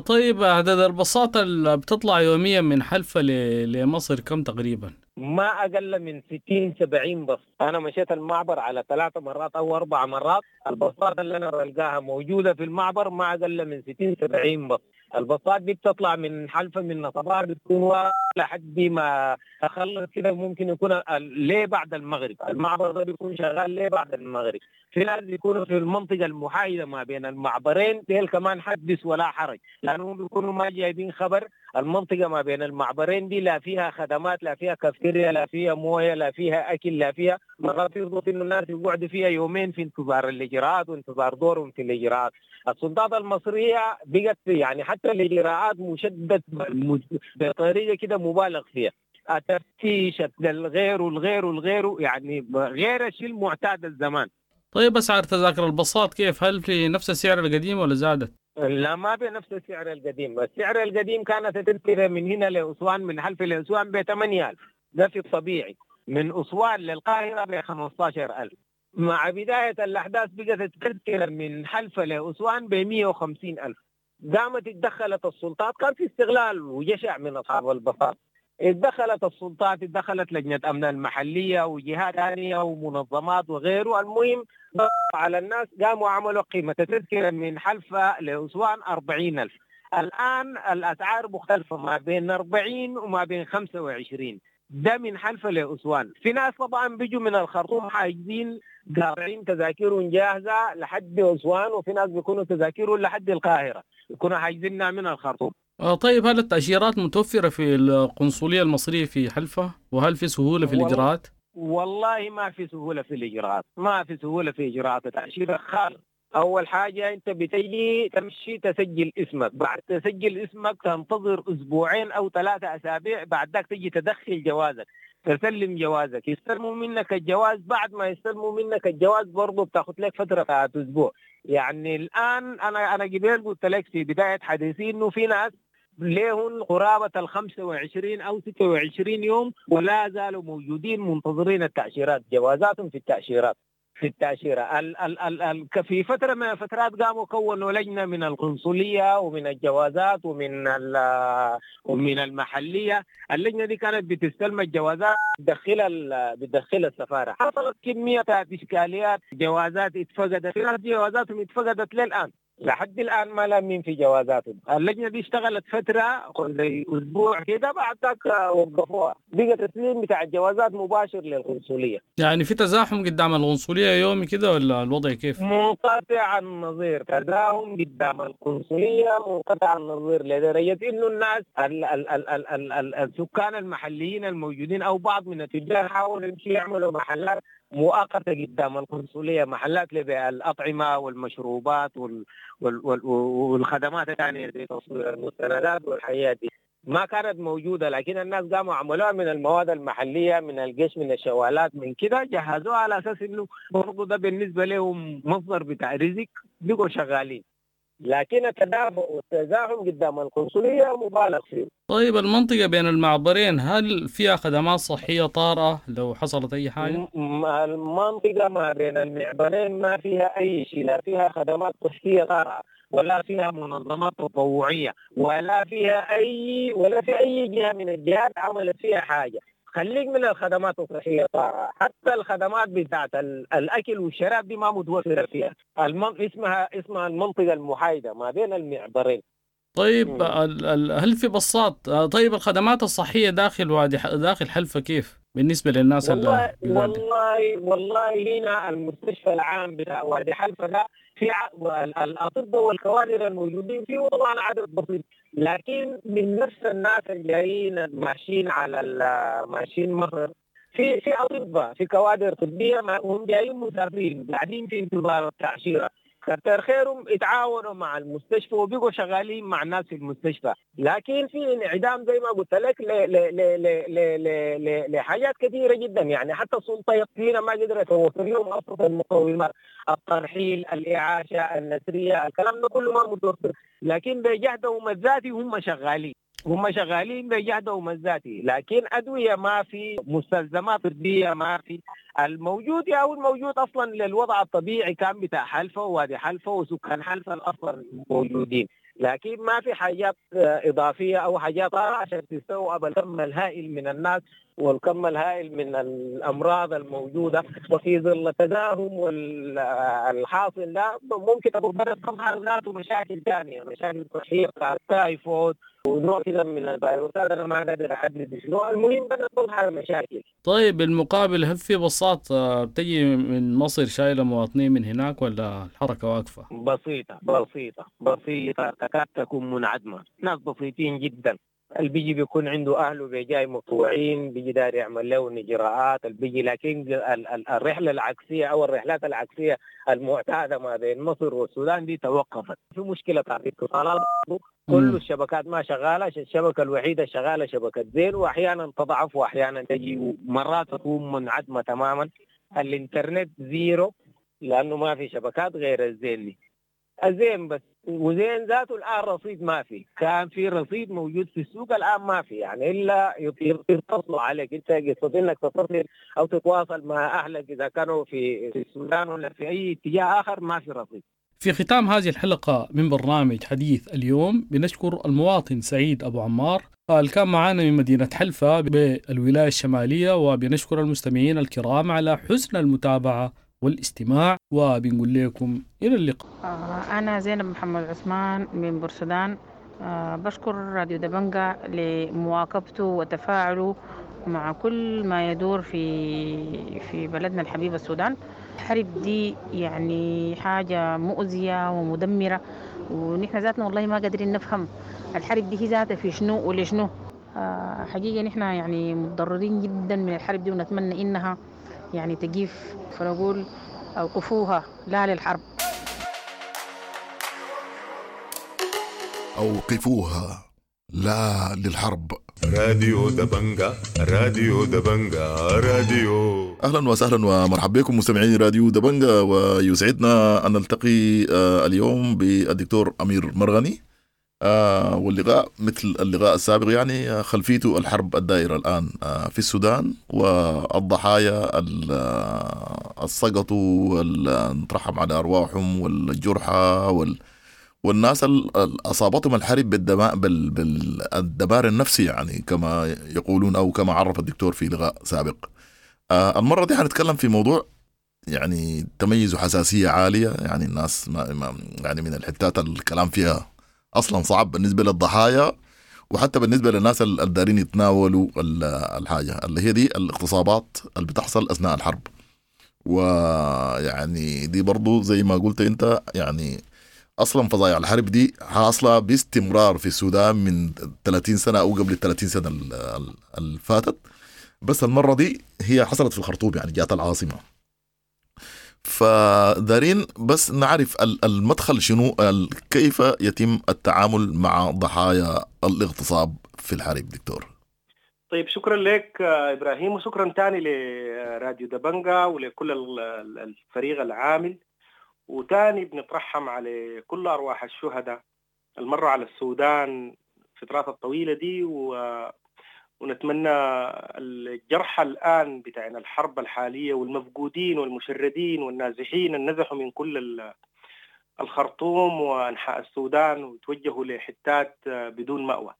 طيب عدد البساطة اللي بتطلع يوميا من حلفا لمصر كم تقريبا؟ ما أقل من 60-70 بص. أنا مشيت المعبر على 3 مرات أو 4 مرات، البصات اللي أنا بلقاها موجودة في المعبر ما أقل من 60-70 بص. البصات دي بتطلع من حلفا من نصبار، بتكون لحد ما اخلص كده، ممكن يكون ليه بعد المغرب، المعبر ده بيكون شغال ليه بعد المغرب. في ناس بيكونوا في المنطقة المحايده ما بين المعبرين، ديل كمان حدث ولا حرج، لانهم بيكونوا ما جايبين خبر. المنطقة ما بين المعبرين دي لا فيها خدمات، لا فيها كافتيريا، لا فيها مويه، لا فيها اكل، لا فيها مرات يربط انه الناس يقعدوا فيها يومين في انتظار الاجراءات وانتظار دورهم في الاجراءات. السلطات المصرية بقت يعني حتى الاجراءات مشدد بطريقة كده مبالغ فيها، التفتيش الغير والغير والغير، يعني غير الشيء المعتاد الزمان. طيب اسعار تذاكر الباصات كيف؟ هل في نفس السعر القديم ولا زادت؟ لا، ما بنفس السعر القديم. السعر القديم كانت التذكرة من هنا لأسوان، من حلف لأسوان ب 8000، ده في الطبيعي. من أسوان للقاهرة ب 15000. مع بداية الأحداث بقت التذكرة من حلفة لأسوان ب 150000. قامت اتدخلت السلطات، كان في استغلال وجشع من أصحاب البساط. اتدخلت السلطات، اتدخلت لجنة أمن المحلية وجهات ثانية ومنظمات وغيره. المهم على الناس، قاموا عملوا قيمة التذكرة من حلفة لأسوان 40000. الآن الأسعار مختلفة ما بين 40 وما بين 25، ده من حلفة لأسوان. في ناس طبعا بيجوا من الخرطوم حاجزين قاطعين تذاكرهم جاهزة لحد أسوان، وفي ناس بيكونوا تذاكرهم لحد القاهرة، يكونوا حاجزينها من الخرطوم. طيب هل التأشيرات متوفرة في القنصلية المصرية في حلفة؟ وهل في سهولة في الإجراءات؟ والله ما في سهولة في الإجراءات، ما في سهولة في إجراءات التأشيرة خالص. أول حاجة أنت بتجي تمشي تسجل اسمك، بعد تسجل اسمك تنتظر أسبوعين أو 3 أسابيع، بعد ذاك تجي تدخل جوازك، تسلم جوازك، يستلموا منك الجواز. بعد ما يستلموا منك الجواز برضه بتاخد لك فترة بتاعت أسبوع. يعني الآن أنا قبل قلت لك في بداية حديثي إنه في ناس ليهم قرابة 25 أو 26 يوم ولا زالوا موجودين منتظرين التأشيرات، جوازاتهم في التأشيرات في التأشيرة. ال ال ال ال في فترة من الفترات قاموا كونوا لجنة من القنصلية ومن الجوازات ومن المحلية. اللجنة دي كانت بتستلم الجوازات بتدخلها السفارة. حصلت كمية إشكاليات، جوازات اتفقدت، في ناس جوازاتهم اتفقدت للآن، لحد الآن ما لامين في جوازاتهم. اللجنة دي اشتغلت فترة زي أسبوع كده، بعد ذاك وقفوها، بقى تسليم بتاع الجوازات مباشر للقنصلية. يعني في تزاحم قدام القنصلية يومي كده ولا الوضع كيف؟ منقطع النظير، تزاحم قدام القنصلية منقطع النظير، لدرجة إنه الناس ال ال ال ال ال ال السكان المحليين الموجودين أو بعض من التجار حاولوا يمشوا يعملوا محلات مؤقتة قدام القنصلية، محلات لبيع الأطعمة والمشروبات والخدمات الثانية زي تصوير المستندات والحياة دي ما كانت موجودة، لكن الناس قاموا عملوها من المواد المحلية، من الجيش، من الشوالات، من كده، جهزوها على أساس إنه برضه ده بالنسبة لهم مصدر بتاع رزق، بقوا شغالين. لكن التدافع والتزاحم قدام القنصلية مبالغ فيه. طيب المنطقة بين المعبرين هل فيها خدمات صحية طارئة لو حصلت أي حاجة؟ المنطقة ما بين المعبرين ما فيها أي شيء، لا فيها خدمات صحية طارئة ولا فيها منظمات تطوعية ولا فيها أي ولا في أي جهة من الجهات عملت فيها حاجة. خليك من الخدمات الصحية طارئة، حتى الخدمات بتاعت الأكل والشراب دي ما متوفرة فيها. اسمها المنطقة المحايدة ما بين المعبرين. طيب هل في بصات؟ طيب الخدمات الصحية داخل وادي داخل حلفة كيف بالنسبة للناس؟ والله والله هنا المستشفى العام بتاع وادي حلفة ده في الأطباء والكوادر الموجودين فيه طبعا عدد بسيط، لكن من نفس الناس الجايين ماشيين على ماشيين مصر في أطباء، في كوادر طبية هم جايين مسافرين قاعدين في انتظار التأشيرة. كتر خيرهم اتعاونوا مع المستشفى وبقوا شغالين مع الناس في المستشفى، لكن في انعدام زي ما قلت لك لحاجات كثيرة جدا. يعني حتى السلطة هنا ما قدرت توفر لهم ابسط المقومات، الترحيل، الاعاشه، النسريه، الكلام ده كله ما متوفر، لكن بجهدهم الذاتي هم شغالين، هم شغالين بجهدهم الذاتي، لكن أدوية ما في، مستلزمات طبية ما في. الموجود يا هو الموجود أصلا للوضع الطبيعي كان بتاع حلفة ووادي حلفة وسكان حلفة أصلا موجودين. لكن ما في حاجات إضافية أو حاجات عشان تستوعب الكم الهائل من الناس والكم الهائل من الأمراض الموجودة. وفي ظل التداهم والحاصل ده ممكن تكون بدأت تظهر ذاته مشاكل ثانية، مشاكل صحية تايفود ونوع كده من الفيروسات أنا ما قادر أحدد شنو، المهم بدأت تظهر مشاكل. طيب بالمقابل هل في باصات بتجي من مصر شايلة مواطنين من هناك ولا الحركة واقفة؟ بسيطة بسيطة بسيطة، تكاد تكون منعدمة، ناس بسيطين جدا. اللي بيجي بيكون عنده أهله بيجاي مطوعين، بيجي داير يعمل له إجراءات اللي بيجي، لكن الرحلة العكسية أو الرحلات العكسية المعتادة ما بين مصر والسودان دي توقفت. في مشكلة بتاعت اتصالات، كل الشبكات ما شغالة، الشبكة الوحيدة شغالة شبكة زين، وأحيانا تضعف وأحيانا تجي مرات تكون منعدمة تماما. الإنترنت زيرو لأنه ما في شبكات غير الزين دي، الزين بس، وزين ذاته الآن رصيد ما في، كان في رصيد موجود في السوق الآن ما في، يعني إلا يتصلوا عليك أنت، قصة إنك تتصل أو تتواصل مع أهلك إذا كانوا في السودان ولا في أي اتجاه آخر ما في رصيد. في ختام هذه الحلقة من برنامج حديث اليوم بنشكر المواطن سعيد أبو عمار اللي كان معنا من مدينة حلفة بالولاية الشمالية، وبنشكر المستمعين الكرام على حسن المتابعة والاستماع، وبنقول لكم إلى اللقاء. أنا زينب محمد عثمان من بورسودان، بشكر راديو دبنجة لمواكبته وتفاعله مع كل ما يدور في بلدنا الحبيب السودان. الحرب دي يعني حاجة مؤذية ومدمرة، ونحن ذاتنا والله ما قادرين نفهم الحرب دي هي ذاتها في شنو ولشنو. حقيقة نحن يعني متضررين جدا من الحرب دي، ونتمنى إنها يعني تقيف، فنقول أوقفوها لا للحرب. أوقفوها لا للحرب. راديو دبنجة، راديو دبنجة، راديو. أهلا وسهلا ومرحبا بكم مستمعين راديو دبنجة، ويسعدنا أن نلتقي اليوم بالدكتور أمير مرغني، واللقاء مثل اللقاء السابق يعني خلفيته الحرب الدائرة الآن في السودان والضحايا السقطوا والنترحم على أرواحهم والجرحى والناس أصابتهم الحرب بالدمار النفسي، يعني كما يقولون أو كما عرف الدكتور في لقاء سابق. المرة دي حنتكلم في موضوع يعني تميز حساسية عالية، يعني الناس ما يعني من الحتات الكلام فيها أصلا صعب بالنسبة للضحايا وحتى بالنسبة للناس الدارين يتناولوا الحاجة اللي هي دي الاغتصابات اللي بتحصل أثناء الحرب. ويعني دي برضو زي ما قلت أنت، يعني أصلا فظايع الحرب دي حاصلة باستمرار في السودان من 30 سنة أو قبل 30 سنة اللي فاتت، بس المرة دي هي حصلت في الخرطوم، يعني جات العاصمة. فدارين بس نعرف المدخل شنو، كيف يتم التعامل مع ضحايا الاغتصاب في الحرب دكتور؟ طيب شكرا لك إبراهيم، وشكرا تاني لراديو دبنجة ولكل الفريق العامل، وتاني بنترحم على كل أرواح الشهداء المرة على السودان الفترات الطويلة دي، ونتمنى الجرحى الآن بتاعنا الحرب الحالية والمفقودين والمشردين والنازحين النزحوا من كل الخرطوم وأنحاء السودان وتوجهوا لحتات بدون مأوى.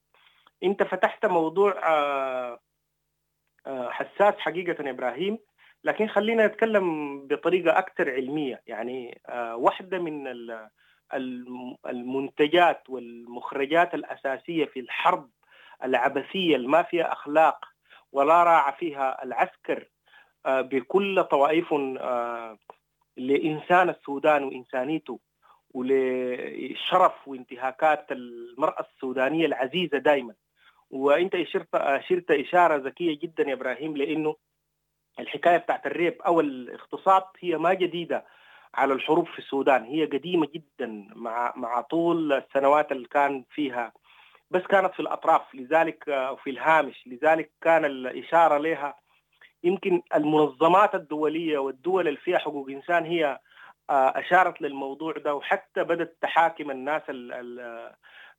أنت فتحت موضوع حساس حقيقة إبراهيم، لكن خلينا نتكلم بطريقة أكثر علمية. يعني واحدة من المنتجات والمخرجات الأساسية في الحرب العبثية اللي ما فيها أخلاق ولا راعى فيها العسكر بكل طوائف لإنسان السودان وإنسانيته ولشرف وانتهاكات المرأة السودانية العزيزة دائما. وإنت أشرت إشارة ذكية جدا يا إبراهيم، لأنه الحكاية بتاعت الريب أو الاغتصاب هي ما جديدة على الحروب في السودان، هي قديمة جدا مع طول السنوات اللي كان فيها، بس كانت في الأطراف لذلك في الهامش، لذلك كان الإشارة لها يمكن المنظمات الدولية والدول اللي فيها حقوق إنسان هي أشارت للموضوع ده، وحتى بدأت تحاكم الناس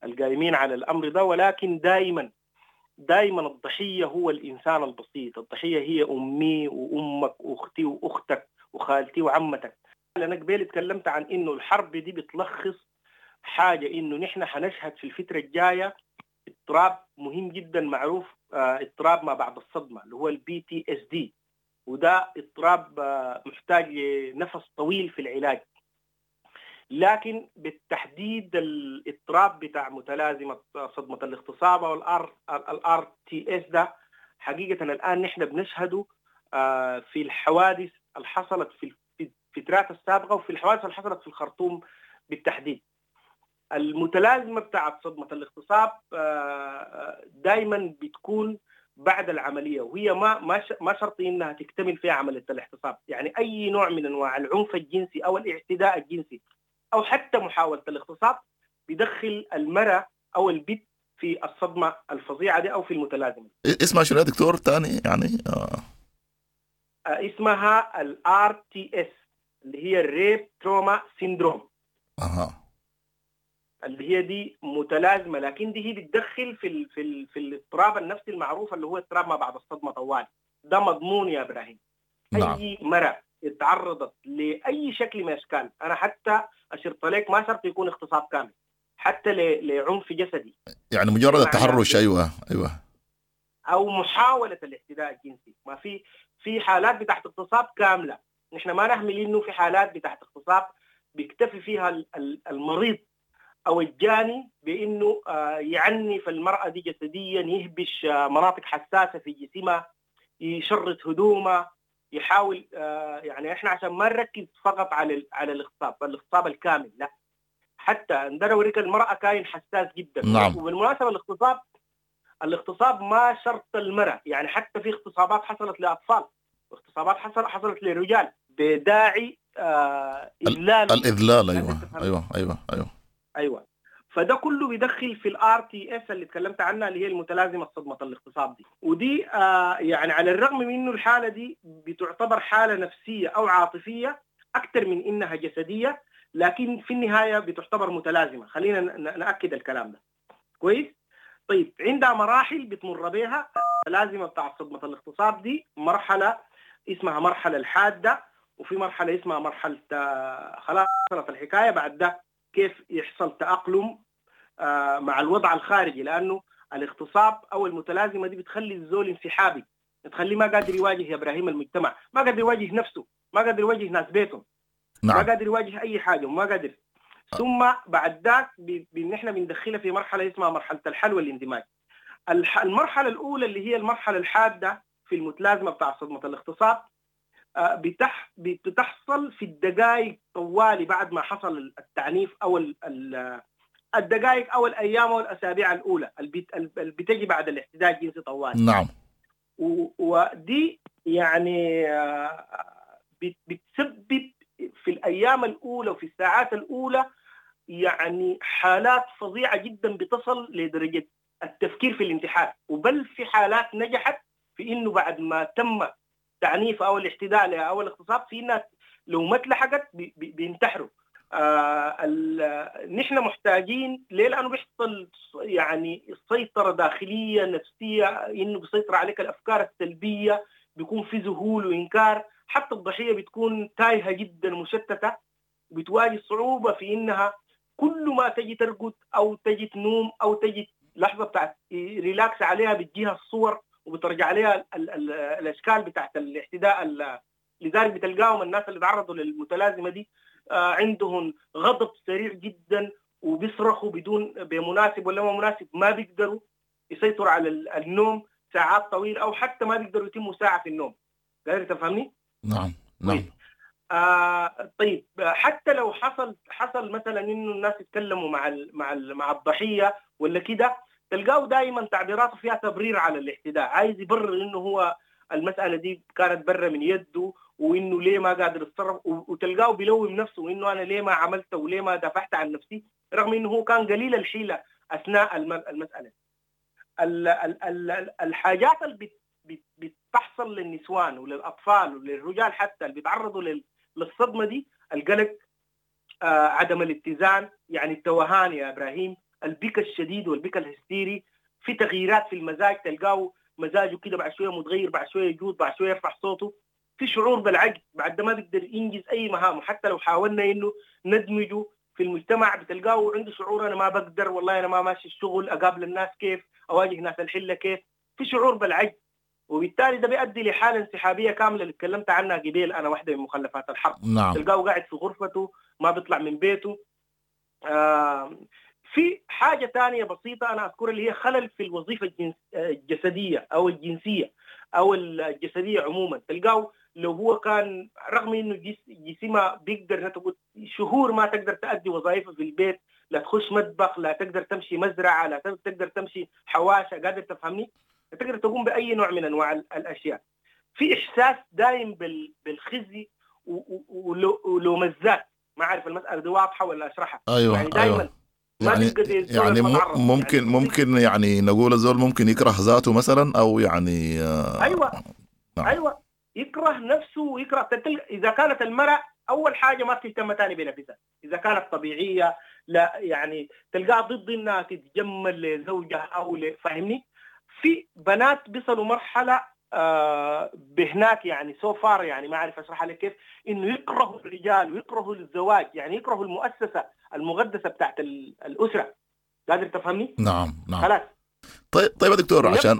القائمين على الأمر ده. ولكن دائما الضحية هو الإنسان البسيط، الضحية هي أمي وأمك وأختي وأختك وخالتي وعمتك. أنا قبل تكلمت عن إنه الحرب دي بتلخص حاجة انه نحن حنشهد في الفترة الجاية اضطراب مهم جدا معروف، اضطراب ما بعد الصدمة اللي هو ال PTSD، وده اضطراب محتاج لنفس طويل في العلاج. لكن بالتحديد الاضطراب بتاع متلازمة صدمة الاغتصاب او ال RTS ده حقيقة الان نحن بنشهده في الحوادث اللي حصلت في الفترات السابقة وفي الحوادث اللي حصلت في الخرطوم بالتحديد. المتلازمه بتاعت صدمة الاغتصاب دائما بتكون بعد العملية، وهي ما شرط انها تكتمل فيها عملية الاغتصاب، يعني اي نوع من انواع العنف الجنسي او الاعتداء الجنسي او حتى محاولة الاغتصاب بيدخل المراة او البنت في الصدمة الفظيعة دي او في المتلازمه. اسمها شنو يا دكتور ثاني يعني؟ اسمها ال RTS اللي هي ال rape trauma syndrome. اها، اللي هي دي متلازمة، لكن دي هي بتدخل في في في الاضطراب النفسي المعروف اللي هو اضطراب ما بعد الصدمة طوال. ده مضمون يا ابراهيم. نعم. اي مرأة اتعرضت لاي شكل من اشكال، انا حتى اشرت لك ما شرط يكون اغتصاب كامل، حتى لعنف جسدي، يعني مجرد التحرش. ايوه ايوه، او محاولة الاعتداء الجنسي. ما في حالات بتاعت اغتصاب كاملة، نحن ما نهمل انه في حالات بتاعت اغتصاب بيكتفي فيها المريض او الجاني بانه يعنف المراة دي جسديا، يهبش مناطق حساسة في جسمها، يشرط هدومها، يحاول يعني احنا عشان ما نركز فقط على الاغتصاب، الاغتصاب الكامل لا، حتى عندنا اوريك المراة كائن حساس جدا. نعم. وبالمناسبة الاغتصاب ما شرط المراة، يعني حتى في اغتصابات حصلت لاطفال، واغتصابات حصلت لرجال بداعي اذلال، الاذلال. ايوه ايوه ايوه ايوه ايوه. فده كله بيدخل في ال RTS اللي تكلمت عنها اللي هي المتلازمه صدمة الاغتصاب دي. ودي يعني على الرغم من انه الحالة دي بتعتبر حاله نفسية او عاطفية اكثر من انها جسدية، لكن في النهاية بتعتبر متلازمة. خلينا ناكد الكلام ده كويس. طيب، عندها مراحل بتمر بها المتلازمه بتاع صدمة الاغتصاب دي. مرحلة اسمها مرحلة الحادة، وفي مرحلة اسمها مرحلة خلاص حصلت الحكاية، بعد ده كيف يحصل تأقلم مع الوضع الخارجي، لأنه الاغتصاب أو المتلازمة دي بتخلي الزول انسحابي، بتخليه ما قادر يواجه يا إبراهيم المجتمع، ما قادر يواجه نفسه، ما قادر يواجه ناس بيته. نعم. ما قادر يواجه أي حاجة وما قادر. ثم بعد ذاك نحن بندخلها في مرحلة اسمها مرحلة الحل والاندماج. المرحلة الأولى اللي هي المرحلة الحادة في المتلازمة بتاع صدمة الاغتصاب بتحصل في الدقائق طوالي بعد ما حصل التعنيف، او الدقائق او الايام او الاسابيع الاولى اللي بتجي بعد الاعتداء الجنسي طوالي. نعم. ودي يعني بتسبب في الايام الاولى وفي الساعات الاولى يعني حالات فظيعة جدا بتصل لدرجة التفكير في الانتحار، وبل في حالات نجحت في انه بعد ما تم التعنيف او الاعتداء او الاغتصاب في ناس لو ما اتلحقت بينتحروا. نحن محتاجين ليه؟ لانه بيحصل يعني سيطرة داخلية نفسية، انه بيسيطر عليك الافكار السلبية، بيكون في ذهول وانكار، حتى الضحية بتكون تايهه جدا مشتتة، بتواجه صعوبة في انها كل ما تجي ترقد او تجي تنوم او تجي لحظة بتاعت relax عليها بتجيها الصور وبترجع عليها الاشكال بتاعت الاعتداء. لذلك بتلقاهم الناس اللي تعرضوا للمتلازمه دي عندهم غضب سريع جدا وبيصرخوا بدون بمناسب ولا ما مناسب، ما بيقدروا يسيطروا على النوم ساعات طويلة او حتى ما بيقدروا يتموا ساعة في النوم. قادر تفهمني؟ نعم نعم. طيب حتى لو حصل مثلا انه الناس يتكلموا مع الضحية ولا كده، تلقاه دائما تعبيراته فيها تبرير على الاعتداء، عايز يبرر انه هو المسالة دي كانت برا من يده وانه ليه ما قادر يتصرف، وتلقاه بيلوم نفسه وانه انا ليه ما عملت وليه ما دافعت عن نفسي، رغم انه هو كان قليل الحيلة اثناء المسالة. الحاجات اللي بتحصل للنسوان وللاطفال وللرجال حتى اللي بيتعرضوا للصدمه دي، القلق، عدم الاتزان، يعني التوهان يا ابراهيم، البكا الشديد والبكا الهستيري، في تغييرات في المزاج، تلقاه مزاجه كده بعد شوية متغير، بعد شوية يجود، بعد شوية يرفع صوته، في شعور بالعجز، بعد ما بيقدر ينجز اي مهامه، حتى لو حاولنا انه ندمجه في المجتمع، بتلقاه عنده شعور انا ما بقدر، والله انا ما ماشي الشغل، اقابل الناس كيف، اواجه ناس الحلة كيف، في شعور بالعجز، وبالتالي ده بيؤدي لحاله انسحابيه كاملة اللي تكلمت عنها قبيل انا، واحدة من مخلفات الحرب. نعم. تلقاه قاعد في غرفته ما بيطلع من بيته. في حاجة ثانية بسيطة انا اذكرها اللي هي خلل في الوظيفة الجسدية او الجنسية او الجسدية عموما. تلقاه لو هو كان رغم انه جسمه بيقدر تقول شهور ما تقدر تؤدي وظائفه في البيت، لا تخش مطبخ، لا تقدر تمشي مزرعة، لا تقدر تمشي حواشه، قادر تفهمني؟ لا تقدر تقوم باي نوع من انواع الاشياء. في احساس دايم بالخزي ولوم الذات. ما اعرف المسالة دي واضحة ولا اشرحها؟ ايوه يعني دائما أيوة. يعني ممكن يعني نقول الزول ممكن يكره ذاته مثلا، او يعني ايوه نعم. ايوه يكره نفسه ويكره. اذا كانت المرأة اول حاجة ما بتهتم ثاني بنفسها، اذا كانت طبيعية لا يعني تلقاها ضد انها تتجمل لزوجها او فاهمني؟ في بنات بيصلوا مرحلة بهناك يعني so far، يعني ما اعرف اشرحها لك كيف، انه يكرهوا الرجال ويكرهوا الزواج، يعني يكرهوا المؤسسة المقدسة بتاعت الاسرة. قادر تفهمني؟ نعم نعم. خلاص. طيب يا دكتور، عشان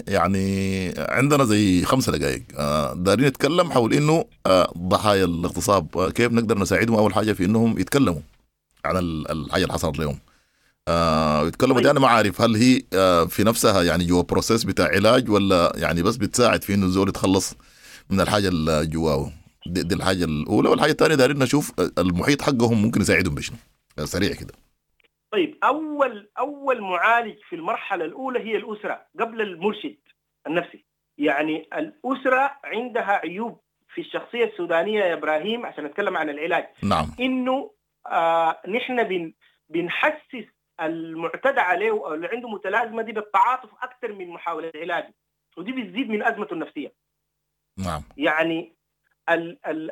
يعني عندنا زي 5 دقائق دارين نتكلم حول انه ضحايا الاغتصاب كيف نقدر نساعدهم. اول حاجة في انهم يتكلموا عن الحاجة اللي حصلت لهم، يتكلموا. دي انا ما عارف هل هي في نفسها يعني جوا process بتاع علاج، ولا يعني بس بتساعد في انه الزول يتخلص من الحاجة اللي جواه. دي الحاجة الاولى. والحاجة الثانية دارين نشوف المحيط حقهم ممكن يساعدهم بشنو سريع كده. طيب، أول معالج في المرحلة الأولى هي الأسرة قبل المرشد النفسي. يعني الأسرة عندها عيوب في الشخصية السودانية يا إبراهيم، عشان نتكلم عن العلاج. نعم. إنه نحن بنحسس المعتدى عليه أو اللي عنده متلازمة دي بالتعاطف أكثر من محاولة علاجه، ودي بتزيد من أزمته النفسية. نعم. يعني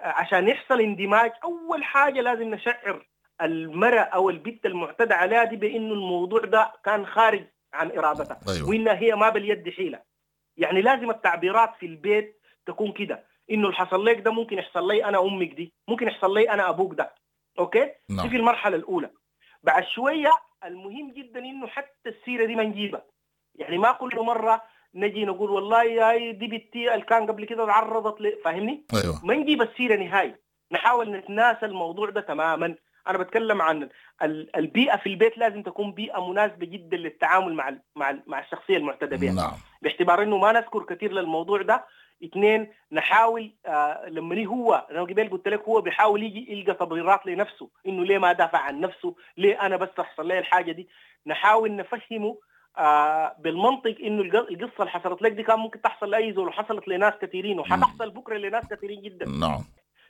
عشان يحصل اندماج أول حاجة لازم نشعر المرأة أو البنت المعتدى عليها دي بأنه الموضوع ده كان خارج عن إرادتها. أيوة. وإنها هي ما باليد حيلة. يعني لازم التعبيرات في البيت تكون كده، إنه اللي حصل لك ده ممكن يحصل لي أنا أمك دي، ممكن يحصل لي أنا أبوك ده. okay؟ نعم. دي في المرحلة الأولى. بعد شوية المهم جدا إنه حتى السيرة دي ما نجيبها، يعني ما كل مرة نجي نقول والله يا دي بنتي اللي كان قبل كده تعرضت فاهمني؟ أيوة. ما نجيب السيرة نهائي، نحاول نتناسى الموضوع ده تماما. أنا بتكلم عن البيئة في البيت، لازم تكون بيئة مناسبة جدا للتعامل مع الشخصية المعتدى بها. نعم. باعتبار إنه ما نذكر كثير للموضوع ده. 2 نحاول لما هو أنا قبل قلت لك هو بيحاول يجي يلقى تبريرات لنفسه إنه ليه ما دافع عن نفسه، ليه أنا بس تحصل لي الحاجة دي. نحاول نفهمه بالمنطق إنه القصة اللي حصلت لك دي كان ممكن تحصل لأي زول، وحصلت لناس كثيرين، وحتحصل بكرة لناس كثيرين جدا. نعم.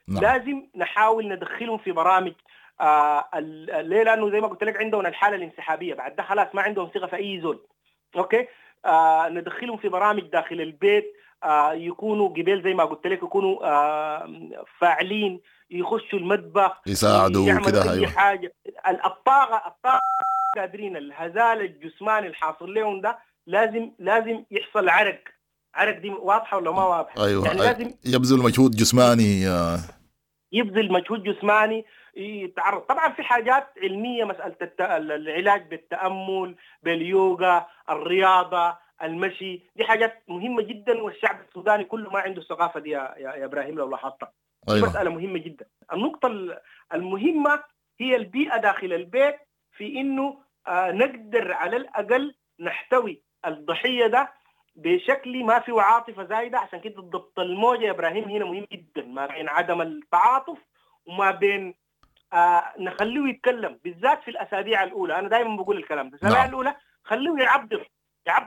نعم. لازم نحاول ندخلهم في برامج. ليه؟ لأنه زي ما قلت لك عندهم الحالة الانسحابية، بعد ده خلاص ما عندهم ثقة في أي زول. okay؟ ندخلهم في برامج داخل البيت، يكونوا قبل زي ما قلت لك يكونوا فاعلين، يخشوا المطبخ، يساعدوا كده. أيوة. حاجة الطاقة قادرين، الهزال الجسماني الحاصل لهم ده لازم يحصل عرق. دي واضحة ولا ما واضحة؟ أيوة. يعني لازم يبذل مجهود جسماني، يبذل مجهود جسماني، يتعرض. طبعا في حاجات علمية، مسألة العلاج بالتأمل، باليوغا، الرياضة، المشي، دي حاجات مهمة جدا، والشعب السوداني كله ما عنده الثقافة دي يا إبراهيم لو لاحظتها. أيوة. مسألة مهمة جدا. النقطة المهمة هي البيئة داخل البيت، في إنه نقدر على الأقل نحتوي الضحية ده بشكل ما فيه عاطفة زايدة. عشان كده ضبط الموجة يا إبراهيم هنا مهم جدا، ما بين عدم التعاطف وما بين نخليه يتكلم، بالذات في الأسابيع الأولى. أنا دائما بقول الكلام ده، الأسابيع الأولى خليه يعبر.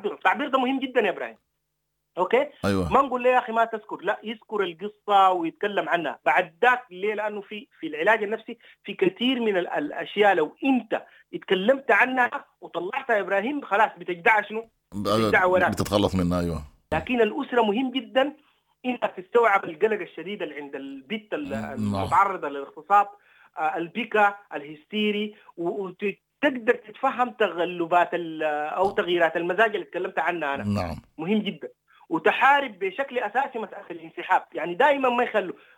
التعبير ده مهم جدا يا إبراهيم. okay؟ أيوة. ما نقول له يا أخي ما تذكر، لا، يذكر القصة ويتكلم عنها بعد ذاك. ليه؟ لأنه في العلاج النفسي في كثير من الأشياء لو أنت اتكلمت عنها وطلعتها يا إبراهيم خلاص بتجدع شنو؟ بتجدع وراك، بتتخلص منها. أيوة. لكن الأسرة مهم جدا إنك تستوعب القلق الشديد اللي عند البت المتعرضة للاغتصاب، البكاء الهستيري، وتقدر تتفهم تغلبات أو تغييرات المزاج اللي تكلمت عنها أنا. نعم. مهم جدا. وتحارب بشكل أساسي مسألة الانسحاب، يعني دائما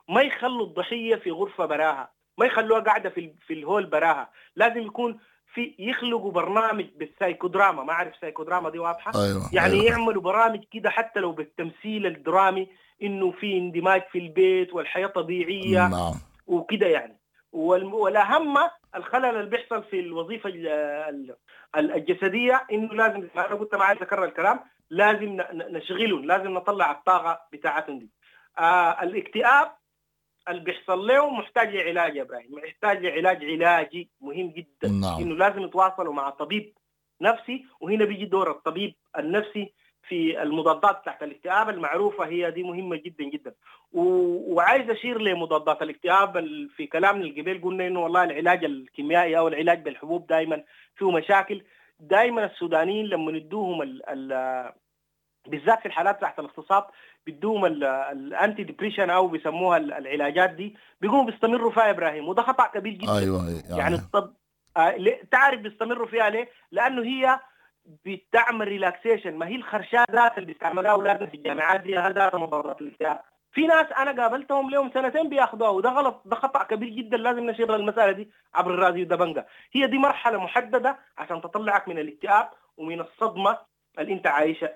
ما يخلوا الضحية في غرفة براها، ما يخلوها قاعدة في الهول براها، لازم يكون في يخلقوا برنامج بالسايكودراما. ما اعرف سايكودراما دي واضحة؟ أيوة. يعني أيوة. يعملوا برامج كده حتى لو بالتمثيل الدرامي، انه في اندماج في البيت والحياة طبيعية. نعم. وكده يعني. والاهم الخلل اللي بيحصل في الوظيفة الجسدية، انه لازم، ما انا قلت ما عايز اكرر الكلام، لازم نشغلهم، لازم نطلع الطاقة بتاعتهم دي. الاكتئاب اللي بيحصل له محتاج لعلاج يا ابراهيم، محتاج لعلاج علاجي مهم جدا. نعم. انه لازم يتواصلوا مع طبيب نفسي، وهنا بيجي دور الطبيب النفسي في المضادات تحت الاكتئاب المعروفة، هي دي مهمة جدا جدا. وعايز اشير لمضادات الاكتئاب في كلامنا القبيل، قلنا انه والله العلاج الكيميائي او العلاج بالحبوب دائما فيه مشاكل. دائما السودانيين لما ندوهم بالذات في الحالات تحت الاغتصاب بيدوهم ال anti depression او بيسموها العلاجات دي، بيقوموا بيستمروا فيها يا ابراهيم، وده خطا كبير جدا. ايوه يعني الطب تعرف بيستمروا فيها ليه؟ لانه هي بتعمل relaxation. ما هي الخرشات ذات اللي بيستعملوها اولادنا في الجامعات دي هذا مضادات الاكتئاب. في ناس انا قابلتهم لهم سنتين بياخذوها، وده غلط، ده خطا كبير جدا. لازم نشير المسالة دي عبر الراديو دبنجة. هي دي مرحلة محددة عشان تطلعك من الاكتئاب ومن الصدمة اللي انت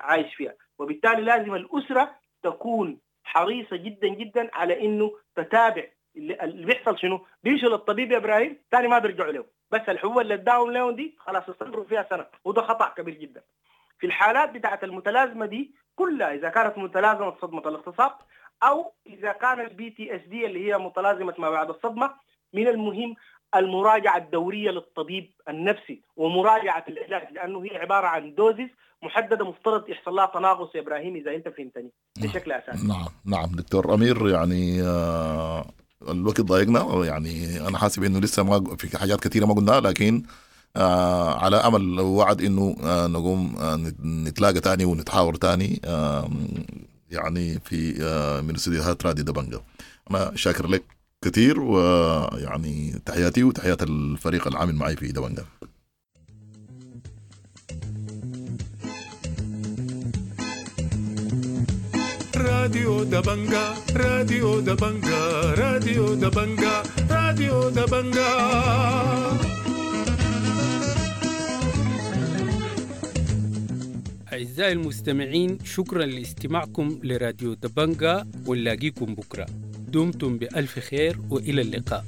عايش فيها، وبالتالي لازم الاسرة تكون حريصة جدا جدا على انه تتابع اللي بيحصل شنو. بيمشوا للطبيب يا ابراهيم ثاني ما بيرجعوا له، بس الحبوب اللي اداهم لهم دي خلاص استمروا فيها سنة، وده خطا كبير جدا. في الحالات بتاعه المتلازمه دي كلها، اذا كانت متلازمة صدمة الاغتصاب او اذا كان ال PTSD اللي هي متلازمة ما بعد الصدمة، من المهم المراجعة الدورية للطبيب النفسي ومراجعة العلاج، لانه هي عبارة عن doses محددة مفترض يحصل لها تناقص يا ابراهيم اذا انت فهمتني بشكل اساسي. نعم نعم دكتور امير، يعني الوقت ضايقنا، يعني انا حاسب انه لسه ما في حاجات كثيرة ما قلناها، لكن على امل وعد انه نقوم نتلاقى تاني ونتحاور تاني يعني في من استديوهات راديو دبنجة. انا شاكر لك كثير، ويعني تحياتي وتحيات الفريق العامل معي في دبنجة. راديو دبنجة، راديو دبنجة، راديو دبنجة، راديو دبنجة. أعزائي المستمعين، شكرا لاستماعكم لراديو دبنجة، ونلاقيكم بكرة. دمتم بألف خير وإلى اللقاء.